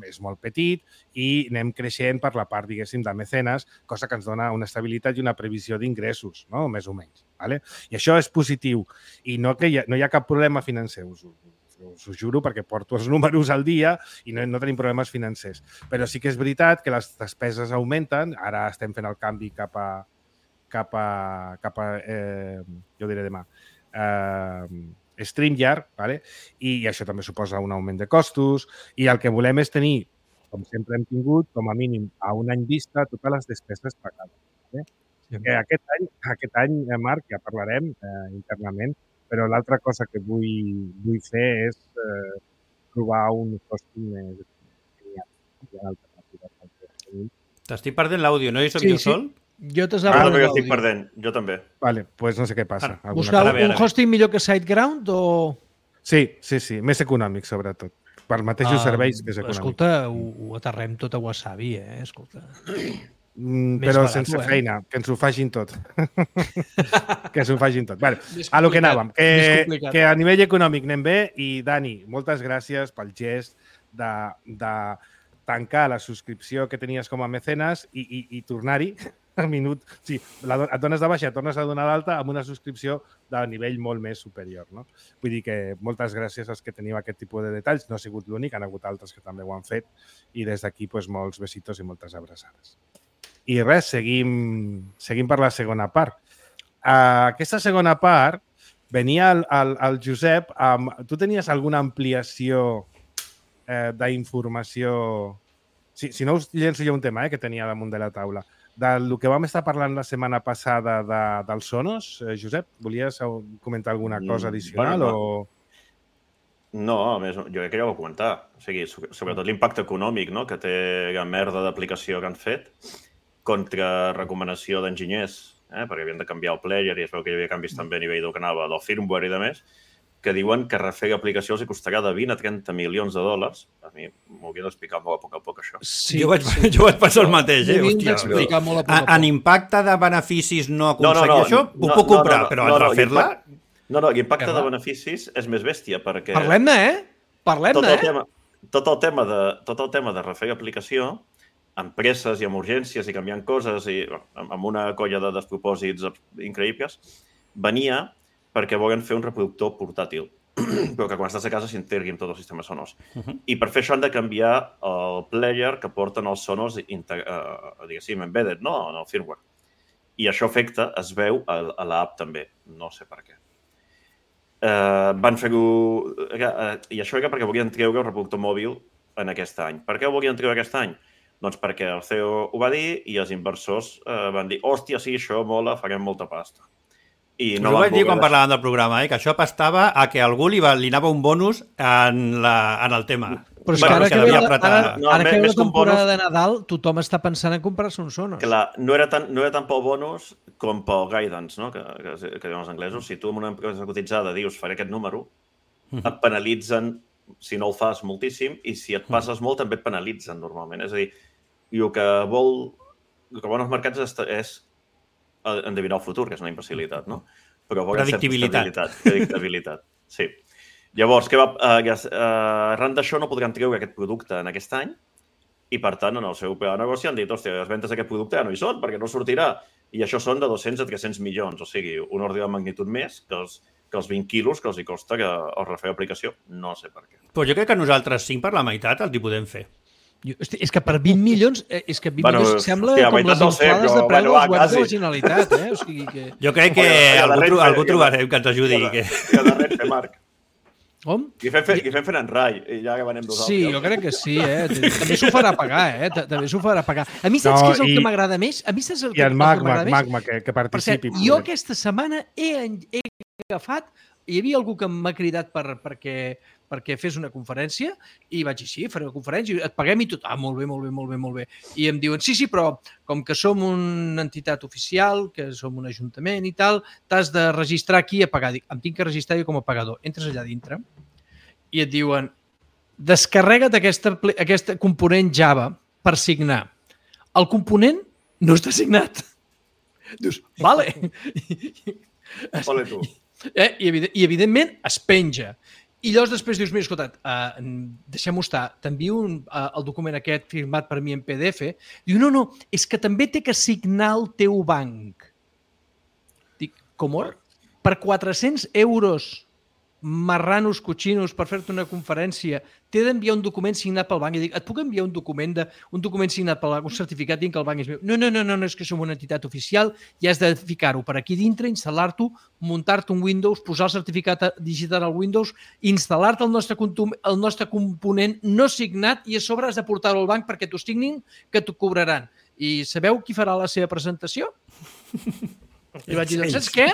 petit, i anem creixent per la part, diguéssim, de mecenes, cosa que ens dona una estabilitat i una previsió d'ingressos, no? Més o menys. Vale? I això és positiu. I no hi ha cap problema financer, us ho juro, perquè porto els números al dia i no tenim problemes financers. Però sí que és veritat que les despeses augmenten. Ara estem fent el canvi cap a jo diré demà, StreamYard, ¿vale? I això també suposa un augment de costos. I el que volem és tenir, com sempre hem tingut, com a mínim a un any vista, totes les despeses pagades. ¿vale? Sí. Aquest any, Marc, ja parlarem internament, però l'altra cosa que vull fer és trobar un hosting més alternatiu. T'estic perdent l'àudio, no? I soc jo sol? Jo t'esava no, jo estic perdent, jo també. Vale, pues no sé què passa. Buscar un hosting millor que SiteGround o...? Sí, més econòmic, sobretot. Per mateixos serveis que és econòmic. Escolta, ho aterrem tot a Wasabi, Escolta. Però barat, sense feina, que ens ho facin tot. Que ens ho facin tot. Vale, a lo que anàvem, que a nivell econòmic anem bé i, Dani, moltes gràcies pel gest de tancar la subscripció que tenies com a mecenes i tornar-hi al minut. Sí, et dones de baixa, tornes a donar d'alta amb una subscripció de nivell molt més superior. No? Vull dir que moltes gràcies als que teniu aquest tipus de detalls. No ha sigut l'únic, han hagut altres que també ho han fet i des d'aquí molts besitos i moltes abraçades. I res, seguim per la segona part. Aquesta segona part venia el Josep amb... Tu tenies alguna ampliació d'informació... Si no us llenço jo un tema que tenia damunt de la taula. Del que vam estar parlant la setmana passada dels Sonos, Josep, volies comentar alguna cosa addicional? No, a més, jo crec que ja ho vaig comentar. O sigui, sobretot l'impacte econòmic, no?, que té la merda d'aplicació que han fet contra recomanació d'enginyers, perquè havien de canviar el player i es veu que hi havia canvis també a nivell del que anava del firmware i de més, que diuen que refer l'aplicació els costarà de 20 a 30 milions de dòlars. A mi m'ho havia d'explicar molt a poc, això. Sí, jo vaig pensar el mateix, Hòstia, en impacte de beneficis no aconseguir això, ho puc comprar, però en refer-la... No, l'impacte de beneficis és més bèstia, perquè... Parlem-ne, Tot el tema de refer l'aplicació, empreses i amb urgències i canviant coses i amb una colla de despropòsits increïbles, venia perquè volen fer un reproductor portàtil, però que quan estàs a casa s'integri amb tots els sistemes sonors. I per fer això han de canviar el player que porten els sonors, diguéssim, embedded, no?, en el firmware. I això afecta, es veu, a l'app també. No sé per què. Van fer-ho... I això era perquè volien treure el reproductor mòbil en aquest any. Per què ho volien treure aquest any? Doncs perquè el CEO ho va dir i els inversors van dir hòstia, sí, això mola, farem molta pasta. I no ho vaig dir quan parlàvem del programa, que això pastava a que algú li anava un bonus en el tema. Però és que ara que ve la temporada de Nadal, tothom està pensant en comprar-se un Sonos. Clar, no era tant pel bonus com pel guidance, no?, que diuen els anglesos. Si tu en una empresa cotitzada dius faré aquest número, et penalitzen si no el fas moltíssim i si et passes molt també et penalitzen normalment. És a dir, el que volen els mercats és endevinar el futur, que és una imbecilitat, no? Però predictibilitat. Sí. Llavors, arran d'això no podran treure aquest producte en aquest any i, per tant, en el seu pla de negoci han dit, hòstia, les ventes d'aquest producte ja no hi són perquè no sortirà. I això són de 200 a 300 milions, o sigui, un ordre de magnitud més que els 20 quilos que els hi costa el refer l'aplicació. No sé per què. Però jo crec que nosaltres 5 per la meitat els hi podem fer. És que per 20 milions, milions sembla com les inflades de preu dels webs de la Generalitat. O sigui que... Jo crec que algú trobarem que ens ajudi. Que de Renfe, Marc. Com? I fem fent en rai, i ja que venem dos Sí, jo crec que sí, També s'ho farà pagar, També s'ho farà pagar. A mi saps què és el que m'agrada més? I el Magma, que participi. Jo aquesta setmana he agafat, hi havia algú que m'ha cridat perquè fes una conferència i vaig dir, sí, faré una conferència, et paguem i tot. Molt bé. I em diuen, sí, però com que som una entitat oficial, que som un ajuntament i tal, t'has de registrar aquí a pagar. Dic, em tinc que registrar jo com a pagador. Entres allà dintre i et diuen, descarrega't aquesta component Java per signar. El component no està signat. Dius, vale. Ole tu. I evidentment es penja. I llavors després dius, mira, escolta, deixem-ho estar, t'envio el document aquest firmat per mi en PDF. Diu, no, és que també té que signar el teu banc. Dic, com? Per 400 euros marranos, cotxinos, per fer-te una conferència, t'he d'enviar un document signat pel banc. I dic, et puc enviar un document signat pel banc, un certificat dient que el banc és meu? No, és que som una entitat oficial i has de ficar-ho per aquí dintre, instal·lar-t'ho, muntar-te un Windows, posar el certificat digital al Windows, instal·lar-te el nostre component no signat i a sobre has de portar-ho al banc perquè t'ho signin, que t'ho cobraran. I sabeu qui farà la seva presentació? I vaig dir, saps què?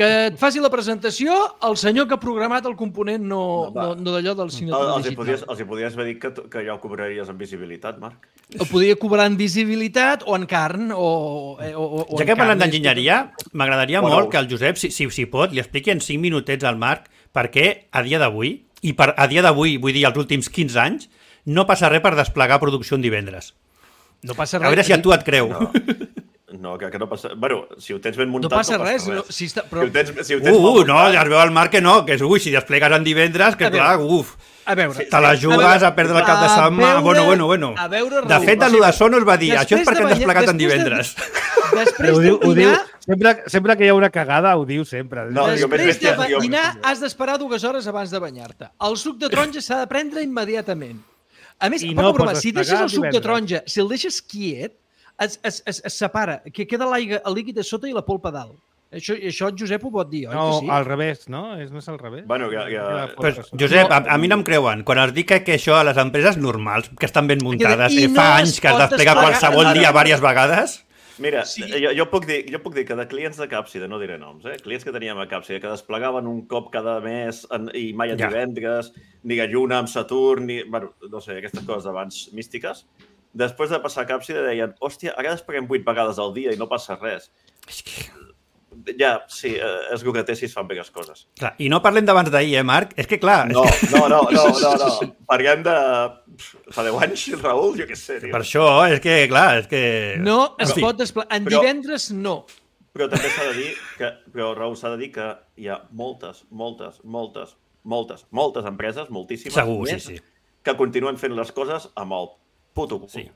Que et faci la presentació el senyor que ha programat el component, no d'allò del signatura digital. Els hi podies haver dit que ja ho cobraries en visibilitat, Marc. Ho podria cobrar en visibilitat o en carn o ja que parlem d'enginyeria, m'agradaria molt que el Josep, si pot, li expliqui en 5 minutets al Marc perquè a dia d'avui, i a dia d'avui vull dir els últims 15 anys, no passa res per desplegar producció en divendres. No passa res. A veure si a tu et creu. No, que no passa... Bueno, si ho tens ben muntat, no passa res. No, si ja es veu al Marc que no, que si desplegues en divendres, que clar, a veure, te la jugues a perdre el cap de setmana. Bueno. De fet, el de Sonos va dir, això és perquè hem desplegat en divendres. Després de dinar... Sempre que hi ha una cagada, ho diu sempre. Després de dinar, has d'esperar 2 hores abans de banyar-te. El suc de taronja s'ha de prendre immediatament. A més, si deixes el suc de taronja, si el deixes quiet, es separa, que queda l'aigua, el líquid a sota i la polpa a dalt. Això el Josep ho pot dir, oi? No, al revés, no? No és al revés? Bueno, Pues, Josep, a mi no em creuen. Quan es dic que això a les empreses normals, que estan ben muntades, fa anys que es desplega qualsevol dia diverses vegades... Mira, jo puc dir que de clients de Càpsida, no diré noms, clients que teníem a Càpsida, que desplegaven un cop cada mes i mai a divendres, ni a Lluna amb Saturn, ni... Bueno, no sé, aquestes coses abans místiques. Després de passar a Càpsida deien, hòstia, ara despleguem 8 vegades al dia i no passa res. Ja, sí, és el que té si es fan bé les coses. Clar, i no parlem d'abans d'ahir, Marc? És que clar... No. Parlem de... Fa 10 anys, Raül, jo què sé. Per això, és que, clar, és que... No es pot desplegar. En divendres, no. Però també s'ha de dir que... Però, Raül, s'ha de dir que hi ha moltes empreses, moltíssimes, segur, sí. que continuen fent les coses amb el puto cul. Sí.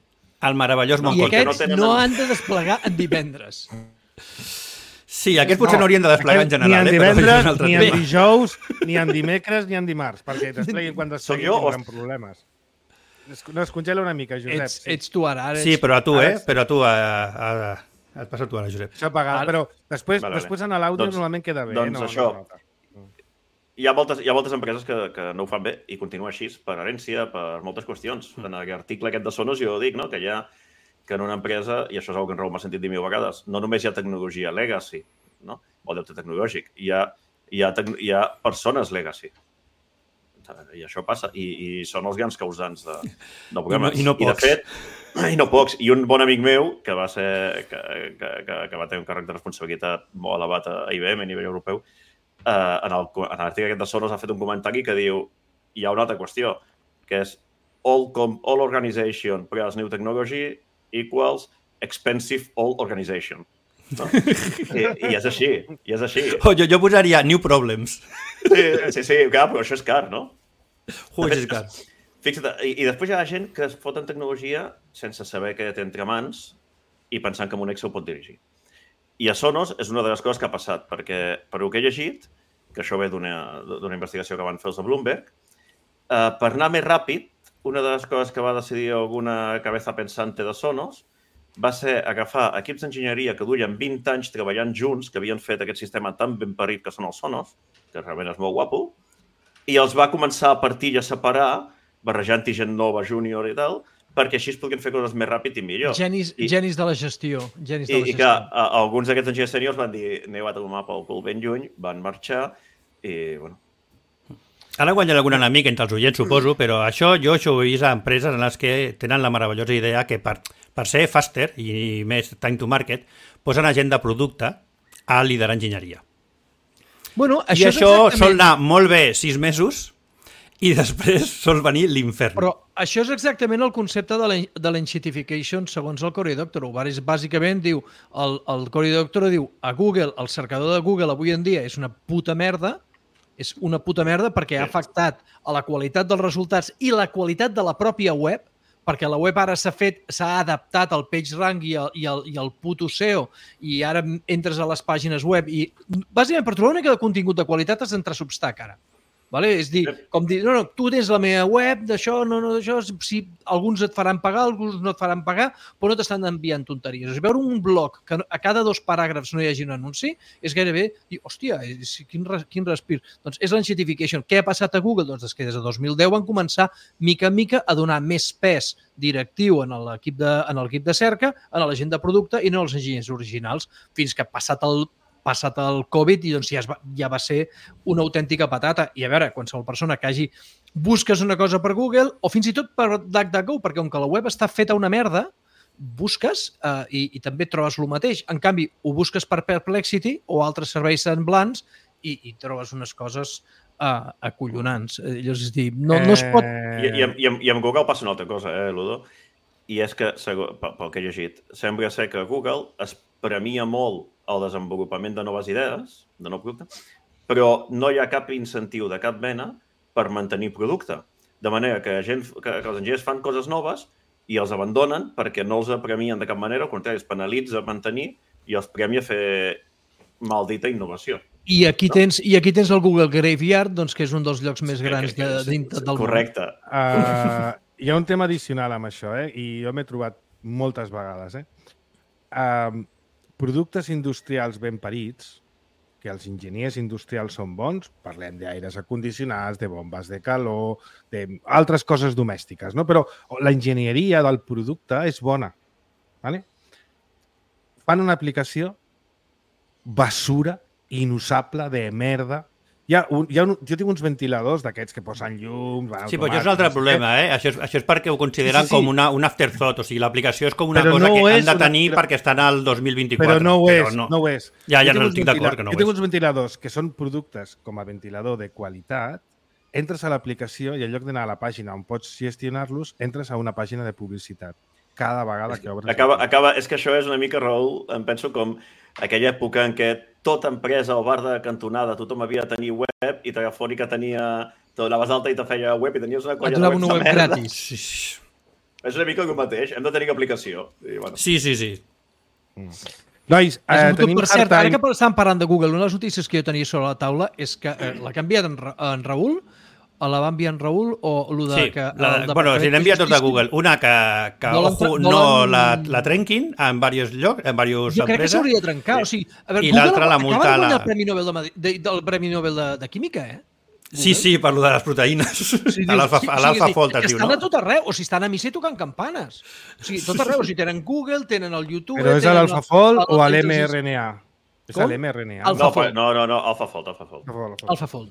El meravellós I aquests no han de desplegar en divendres. Sí, aquests potser no haurien de desplegar en general. Ni en divendres, ni en dijous, ni en dimecres, ni en dimarts, perquè despleguin quan despleguin tindran problemes. No, es congela una mica, Josep. Ets tu ara. Sí, però a tu, Però a tu, et passa tu ara, Josep. Això pagat, però després en l'àudio normalment queda bé. Doncs això, hi ha moltes empreses que no ho fan bé i continua així per herència, per moltes qüestions. En l'article aquest de Sonos jo dic, no?, que hi ha que en una empresa, i això és una que en Raül m'ha sentit dir 1000 vegades, no només hi ha tecnologia legacy, no?, o deute tecnològic, hi ha persones legacy. I això passa. I són els grans causants de problemes. I no pocs. I no pocs. I un bon amic meu, que va ser que va tenir un càrrec de responsabilitat molt elevat a IBM a nivell europeu, en l'article aquest de Sonos ha fet un comentari que diu hi ha una altra qüestió, que és all organization plus new technology equals expensive old organization. No? I és així, Jo posaria new problems. Sí, clar, però això és car, no? És car. Fixa't, i després hi ha gent que es fot en tecnologia sense saber què té entre mans i pensant que amb un Excel pot dirigir. I a Sonos és una de les coses que ha passat, perquè per el que he llegit, que això ve d'una investigació que van fer els de Bloomberg, per anar més ràpid, una de les coses que va decidir alguna cabeza pensante de Sonos va ser agafar equips d'enginyeria que duien 20 anys treballant junts, que havien fet aquest sistema tan ben parit que són els Sonos, que realment és molt guapo, i els va començar a partir i a separar, barrejant-hi gent nova, júnior i tal, perquè així es podien fer coses més ràpid i millor. Genis de la gestió. I que alguns d'aquests enginyers sèniors van dir aneu a tomar pel cul ben lluny, van marxar i, bueno... Ara guanyarà algun enemic entre els oients, suposo, però això ho he vist a empreses en les que tenen la meravellosa idea que per ser faster i més time to market posen a gent de producte a liderar enginyeria. Bueno, I això sol anar molt bé 6 mesos i després sol venir l'infern. Però això és exactament el concepte de l'enshitification segons el Cory Doctorow. Bàsicament diu, el Cory Doctorow diu a Google, el cercador de Google avui en dia és una puta merda perquè ha afectat a la qualitat dels resultats i la qualitat de la pròpia web, perquè la web ara s'ha adaptat al PageRank i al puto SEO i ara entres a les pàgines web i bàsicament per trobar una mica de contingut de qualitat has d'entrar a Substack ara. Vale? És dir, com dir, no, tu tens la meva web, d'això, d'això, si alguns et faran pagar, alguns no et faran pagar, però no t'estan enviant tonteries. O sigui, veure un blog que a cada 2 paràgrafs no hi hagi un anunci és gairebé dir, hòstia, quin respir. Doncs és l'enshitification. Què ha passat a Google? Doncs que des de 2010 van començar mica en mica a donar més pes directiu en l'equip de cerca, en la gent de producte i no als enginyers originals, fins que passat el Covid i doncs ja va ser una autèntica patata. I a veure, qualsevol persona que busques una cosa per Google o fins i tot per DuckDuckGo, perquè com que la web està feta una merda, busques i també trobes el mateix. En canvi, ho busques per Perplexity o altres serveis semblants i trobes unes coses acollonants. És dir, no es pot... I amb Google passa una altra cosa, Ludo? I és que, pel que he llegit, sembla ser que Google es premia molt el desenvolupament de noves idees, de nou producte, però no hi ha cap incentiu de cap mena per mantenir producte. De manera que els enginyers fan coses noves i els abandonen perquè no els premien de cap manera, al contrari, es penalitza mantenir i els premia fer maldita innovació. I aquí tens el Google Graveyard, doncs, que és un dels llocs més grans del món. Correcte. Hi ha un tema addicional amb això, i jo m'he trobat moltes vegades. Productes industrials ben parits, que els enginyers industrials són bons, parlem d'aires acondicionats, de bombes de calor, d'altres coses domèstiques, no? Però la enginyeria del producte és bona. Vale? fan una aplicació basura, inusable, de merda. Jo tinc uns ventiladors d'aquests que posen llums... Sí, però això és un altre problema, eh? Això és perquè ho consideren com un afterthought, o sigui, l'aplicació és com una cosa que han de tenir perquè estan al 2024. Però no ho és. Ja no estic d'acord que no ho és. Jo tinc uns ventiladors que són productes com a ventilador de qualitat, entres a l'aplicació i en lloc d'anar a la pàgina on pots gestionar-los, entres a una pàgina de publicitat. Cada vegada que obres... És que això és una mica, Raül, em penso com aquella època en què tota empresa o bar de cantonada, tothom havia de tenir web i Telefònica tenia... Te donaves d'alta i te feia web i tenies una colla de webs de merda. Gratis. És una mica el mateix, hem de tenir aplicació. I, bueno. Sí. Nois, tenim per cert, ara que estàvem parlant de Google, una de les notícies que jo tenia sobre la taula és que l'ha canviat en Raül, la va enviar en Raül o el de... Sí, si l'he enviat tot a Google. Una que no la trenquin en diversos llocs, en diverses empreses. Jo crec que s'hauria de trencar. O sigui, a veure, i l'altra la multa... Acaba de guanyar el Premi Nobel del Premi Nobel de Química, eh? Sí, per lo de les proteïnes. A l'AlphaFold es diu, no? Estan a tot arreu, o sigui, estan a missa i tocant campanes. O sigui, tot arreu, o sigui, tenen Google, tenen el YouTube... Però és a l'AlphaFold o a l'mRNA? És a l'mRNA. No, AlphaFold. AlphaFold.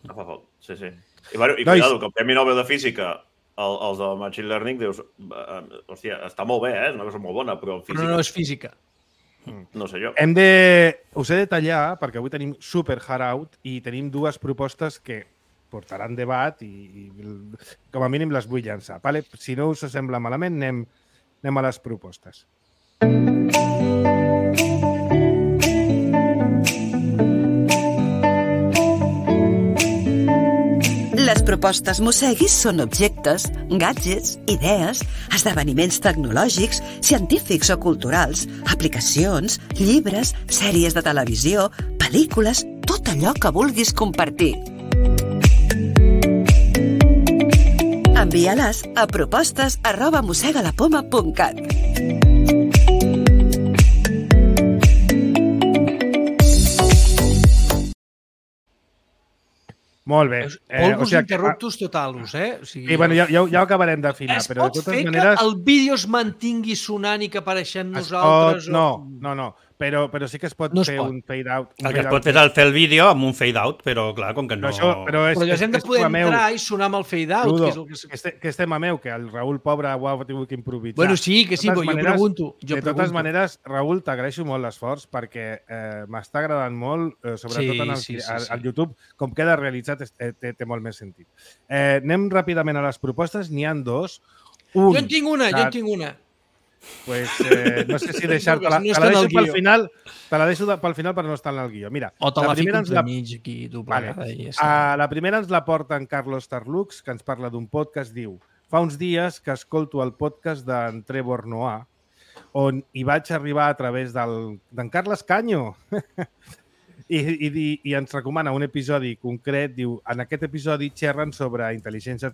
Sí. I cuidado, que el Premi Nobel de Física, els del Machine Learning, dius, hòstia, està molt bé, és una cosa molt bona, però física... Però no és física. No sé jo. Us he de tallar, perquè avui tenim super hard out i tenim dues propostes que portaran debat i com a mínim les vull llançar. Vale? Si no us sembla malament, anem a les propostes. Les propostes Mosseguis són objectes, gadgets, idees, esdeveniments tecnològics, científics o culturals, aplicacions, llibres, sèries de televisió, pel·lícules, tot allò que vulguis compartir. Envia-les a propostes@mossegalapoma.cat. Molt bé. Polvos interruptus totalus, eh? O sigui, sí, bueno, ja ho acabarem d'afinar, però de totes maneres... Es pot fer que el vídeo es mantingui sonant i que apareixem nosaltres? No. Però sí que es pot fer un fade-out. El que es pot fer és fer el vídeo amb un fade-out, però clar, com que no... Però llavors hem de poder entrar i sonar amb el fade-out. Que és tema meu, que el Raül, pobre, ho ha tingut que improvisar. Bueno, sí, però jo pregunto. De totes maneres, Raül, t'agraeixo molt l'esforç perquè m'està agradant molt, sobretot al YouTube, com queda realitzat té molt més sentit. Anem ràpidament a les propostes, n'hi ha dos. Jo en tinc una. Pues no sé si deixar-te-la. Te la deixo pel final, per no estar en el guió. Mira, o te la fico entremig aquí, doblegada. La primera ens la porta en Carlos Tarlux, que ens parla d'un podcast, diu: fa uns dies que escolto el podcast d'en Trevor Noah, on hi vaig arribar a través d'en Carles Canyo. I ens recomana un episodi concret, diu, en aquest episodi xerren sobre intel·ligència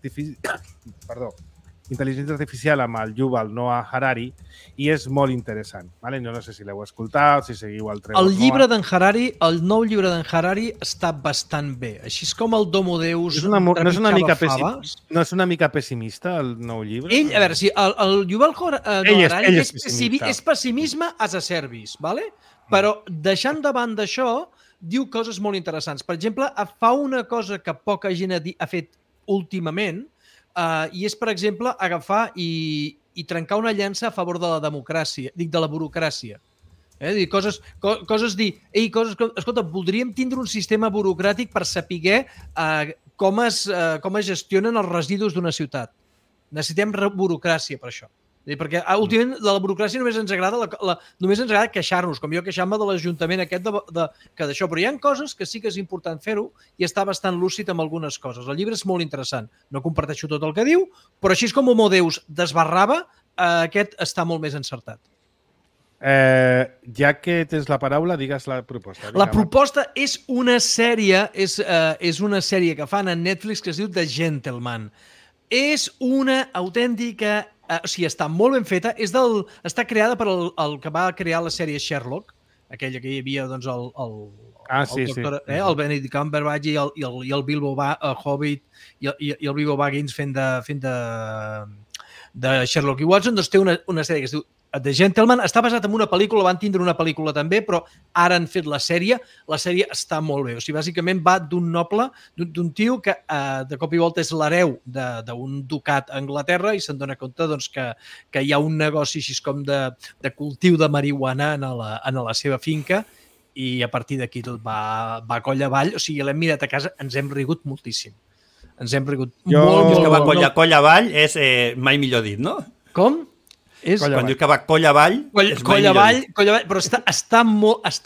artificial amb el Yuval Noah Harari i és molt interessant. Vale? Jo no sé si l'heu escoltat, si seguiu el Trevor Noah. El llibre d'en Harari, el nou llibre d'en Harari està bastant bé. Així és com el Domo Deus. No és una mica pessimista el nou llibre? Ell, a veure, si el Yuval Noah Harari és pessimisme as a service, ¿vale? Però deixant de banda això, diu coses molt interessants. Per exemple, fa una cosa que poca gent ha fet últimament, i és, per exemple, agafar i trencar una llança a favor de la democràcia, de la burocràcia. Escolta, voldríem tindre un sistema burocràtic per saber com es gestionen els residus d'una ciutat. Necessitem burocràcia per això. Perquè últimament de la burocràcia només ens agrada queixar-nos, com jo queixar-me de l'Ajuntament aquest que d'això, però hi ha coses que sí que és important fer-ho i està bastant lúcid amb algunes coses. El llibre és molt interessant, no comparteixo tot el que diu, però així és com Homo Deus desbarrava, aquest està molt més encertat. Ja que tens la paraula, digues la proposta. La proposta és una sèrie que fan a Netflix que es diu The Gentleman. És una autèntica... O sigui, està molt ben feta. Està creada per el que va crear la sèrie Sherlock, aquella que hi havia doncs, el Benedict Cumberbatch i el Bilbo Hobbit i el Bilbo Baggins fent de Sherlock i Watson. Doncs té una sèrie que es diu The Gentleman. Està basat en una pel·lícula, van tindre una pel·lícula també, però ara han fet la sèrie. La sèrie està molt bé. O sigui, bàsicament va d'un noble, d'un tio que de cop i volta és l'hereu d'un ducat a Anglaterra i se'n dona compte doncs, que hi ha un negoci així com de cultiu de marihuana en la seva finca i a partir d'aquí tot va coll avall. O sigui, l'hem mirat a casa, ens hem rigut moltíssim. Ens hem rigut molt. Que va coll avall és mai millor dit, no? Com? Quan dius que va coll avall, és mai millor dit. Coll avall, però està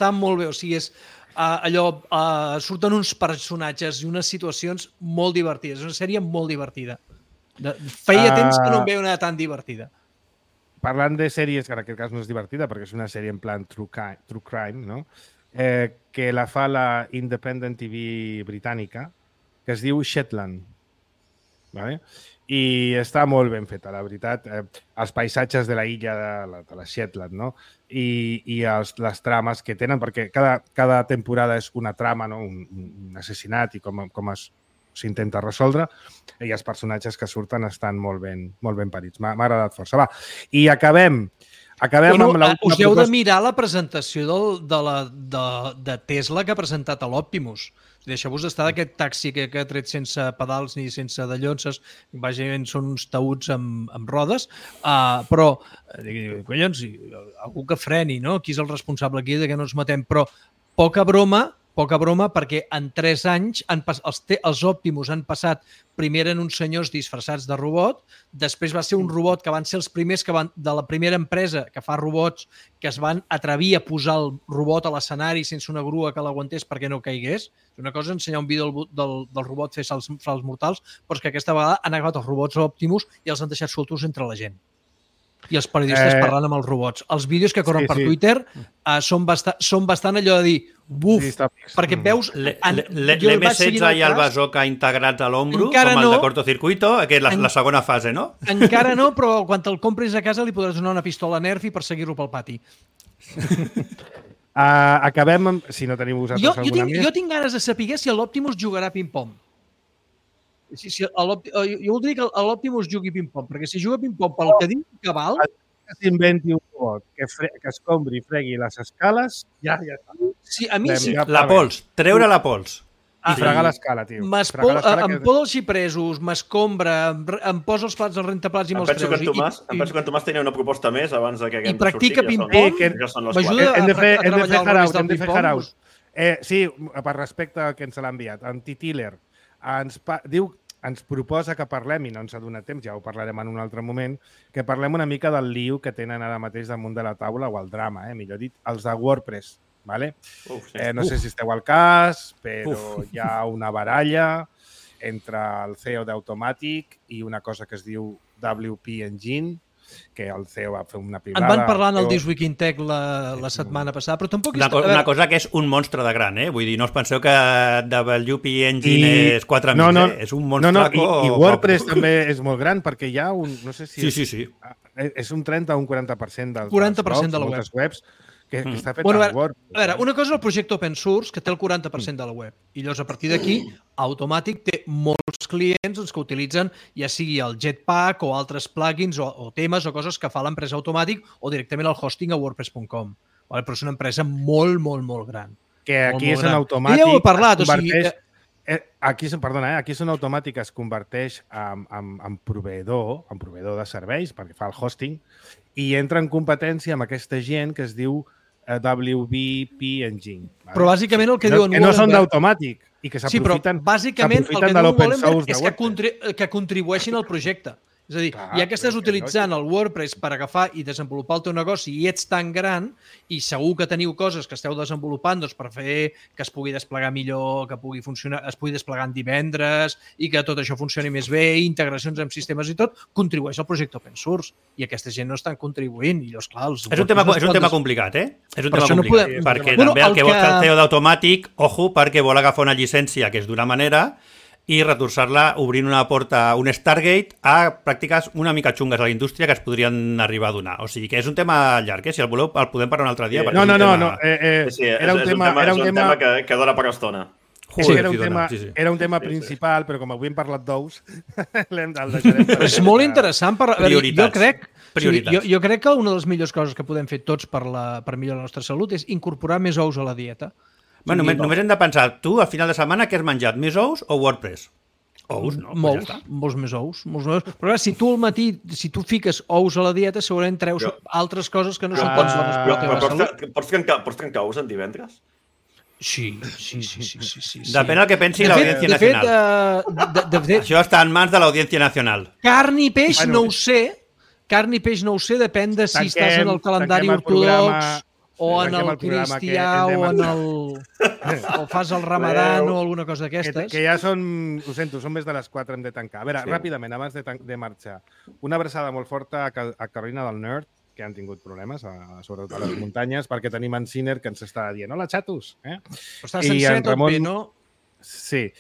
molt bé. O sigui, és allò, surten uns personatges i unes situacions molt divertides. És una sèrie molt divertida. Feia temps que no em veia una tan divertida. Parlant de sèries, que en aquest cas no és divertida, perquè és una sèrie en plan true crime, no? Que la fa la Independent TV britànica, que es diu Shetland. Vale? I està molt ben feta, la veritat. Els paisatges de la illa de la Shetland, no? I les trames que tenen, perquè cada temporada és una trama, no? Un assassinat i com s'intenta resoldre, i els personatges que surten estan molt ben parits. M'ha agradat força. Va, i acabem amb la... Us heu de mirar la presentació de Tesla que ha presentat a l'Optimus. Deixeu-vos estar d'aquest taxi que ha tret sense pedals ni sense dallonses, bàsicament són uns taüts amb rodes, però, collons, algú que freni, no? Qui és el responsable aquí de que no ens matem? Però poca broma, perquè en 3 anys els Optimus han passat primer en uns senyors disfressats de robot, després va ser un robot que van ser els primers de la primera empresa que fa robots que es van atrevir a posar el robot a l'escenari sense una grua que l'aguantés perquè no caigués. És una cosa ensenyar un vídeo del robot fer salts mortals, però és que aquesta vegada han agafat els robots Optimus i els han deixat soltos entre la gent. I els periodistes parlant amb els robots. Els vídeos que corren per Twitter són bastant allò de dir buf, perquè veus... L'M16 i el bazooka integrats a l'ombro, com el de cortocircuito, que és la segona fase, no? Encara no, però quan te'l compris a casa li podràs donar una pistola Nerf i perseguir-lo pel pati. Acabem amb... Si no teniu vosaltres alguna més... Jo tinc ganes de saber si l'Optimus jugarà ping-pong. Jo voldria que l'Optimus jugui ping-pong, perquè si juga ping-pong pel que diu que val... Que s'inventi un robot que escombri i fregui les escales, ja està. Sí, a mi sí. La pols, treure la pols. I fregar l'escala, tio. Em posa els xipresos, m'escombra, em posa els plats, els rentaplats i me'ls treus. Em penso que en Tomàs tenia una proposta més abans que haguem de sortir. I practica ping-pong, m'ajuda a treballar el del ping-pong. Sí, per respecte al que ens l'ha enviat. En Titiller ens proposa que parlem, i no ens ha donat temps, ja ho parlarem en un altre moment, que parlem una mica del lío que tenen ara mateix damunt de la taula, o el drama, millor dit, els de WordPress. Vale? No sé si esteu al cas, però hi ha una baralla entre el CEO d'Automatic i una cosa que es diu WP Engine, que el CEO va fer una pilada. En van parlar en el This Week in Tech la setmana passada, però tampoc... Una cosa que és un monstre de gran, Vull dir, no us penseu que WP Engine és 4 amics, és un monstre... I WordPress també és molt gran, perquè hi ha un... No sé si sí. És un 30 o un 40% dels 40% de la webs que està fet en Word. A veure, una cosa és el projecte open source, que té el 40% de la web. I llavors, a partir d'aquí, Automatic té molts clients que utilitzen ja sigui el Jetpack o altres plugins o temes o coses que fa l'empresa Automatic o directament el hosting a WordPress.com. Però és una empresa molt, molt, molt gran. Que aquí és en Automatic... Ja ho he parlat, o sigui... Aquí és on Automatic es converteix en proveïdor de serveis, perquè fa el hosting, i entra en competència amb aquesta gent que es diu WP Engine. Vale? Però bàsicament el que diuen... Que no són d'Automàtic i que s'aprofiten de l'open source de WordPress. Que contribueixin al projecte. És a dir, ja que estàs utilitzant el WordPress per agafar i desenvolupar el teu negoci i ets tan gran i segur que teniu coses que esteu desenvolupant per fer que es pugui desplegar millor, que pugui funcionar, es pugui desplegar en divendres i que tot això funcioni més bé, integracions amb sistemes i tot, contribueix al projecte open source. I aquesta gent no estan contribuint. I llavors, clar, és un tema complicat, És un tema complicat. Perquè també el que vol fer el CEO d'Automàtic, ojo, perquè vol agafar una llicència que és d'una manera i retorçar-la obrint una porta, un Stargate, a pràctiques una mica xungues a la indústria que es podrien arribar a donar. O sigui que és un tema llarg, Si el voleu el podem parlar un altre dia. No. Era un tema que dona per estona. Era un tema principal, però com avui hem parlat d'ous, el deixarem. És molt interessant. Prioritats. Jo crec que una de les millors coses que podem fer tots per millorar la nostra salut és incorporar més ous a la dieta. Bueno, només hem de pensar, tu, al final de setmana, què has menjat? Més ous o WordPress? Ous, no? Molts més ous. Però clar, si tu al matí, si tu fiques ous a la dieta, segurament treus altres coses que no són tants bones per la teva salut. Pots trencar ous en divendres? Sí. Depèn del que pensi l'Audiència Nacional. Això està en mans de l'Audiència Nacional. Carn i peix no ho sé. Carn i peix no ho sé, depèn de si estàs en el calendari ortodox o en el cristià o fas el ramadan o alguna cosa d'aquestes. Que ja són, ho sento, són més de les 4, hem de tancar. A veure, ràpidament, abans de marxar, una abraçada molt forta a Carolina del Nord, que han tingut problemes, sobretot a les muntanyes, perquè tenim en Sinner que ens està dient hola, xatos! Però està sencer tot bé, no? Sí,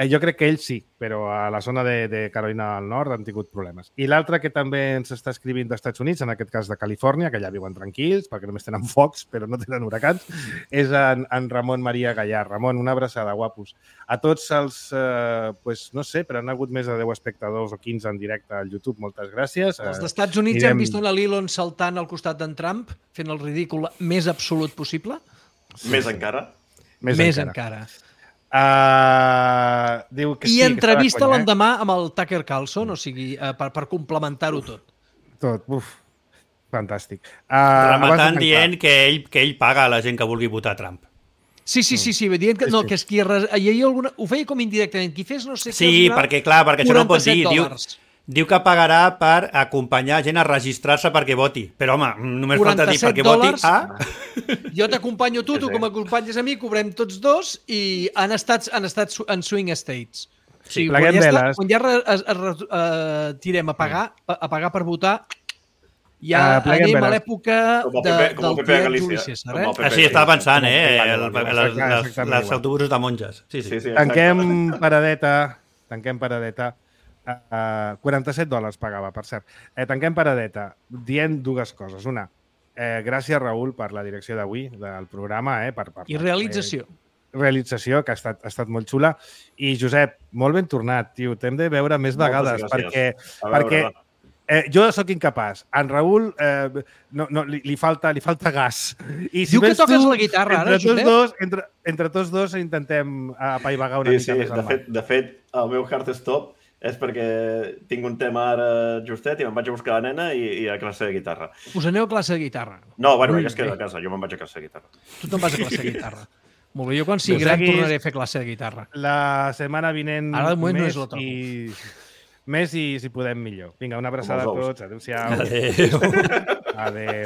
jo crec que ells sí, però a la zona de Carolina del Nord han tingut problemes. I l'altre que també ens està escrivint dels Estats Units, en aquest cas de Califòrnia, que ja viuen tranquils, perquè només tenen focs, però no tenen huracans, és en Ramon Maria Gallar. Ramon, una abraçada, guapos. A tots els, no sé, però han hagut més de 10 espectadors o 15 en directe al YouTube, moltes gràcies. Els Estats Units han vist l'Elon saltant al costat d'en Trump, fent el ridícul més absolut possible? Més encara? Més encara. Diu que I entrevista l'endemà amb el Tucker Carlson, o sigui, per complementar-ho tot. Fantàstic. Rematant dient que ell paga a la gent que vulgui votar Trump. Sí, dient que no, que és qui ho feia com indirectament, qui fes no sé què. Sí, perquè això no pot dir. Diu que pagarà per acompanyar gent a registrar-se perquè voti. Però, home, només falta dir perquè voti a... Jo t'acompanyo tu que m'acompanyes a mi, cobrem tots dos i han estat en swing states. Sí, pleguem veles. Quan ja tirem a pagar per votar, ja anem a l'època del Juli César. Així estava pensant, els autobusos de monges. Tanquem paradeta. $47 pagava, per cert. Tanquem paradeta dient dues coses. Una, gràcies, Raül, per la direcció d'avui del programa. I realització. Realització, que ha estat molt xula. I, Josep, molt ben tornat, tio. T'hem de veure més vegades, perquè jo sóc incapaç. En Raül li falta gas. Diu que toques la guitarra, ara, Josep? Entre tots dos intentem apaivagar una mica més el mal. De fet, el meu hard stop és perquè tinc un tema ara justet i me'n vaig a buscar la nena i a classe de guitarra. Us aneu a classe de guitarra? No, bueno, ella es queda a casa, jo me'n vaig a classe de guitarra. Tu te'n vas a classe de guitarra. Molt bé, jo quan sigui gran tornaré a fer classe de guitarra. La setmana vinent ara de moment no és la trobo. Més i si podem millor. Vinga, una abraçada a tots. Adéu-siau. Adéu. Adéu.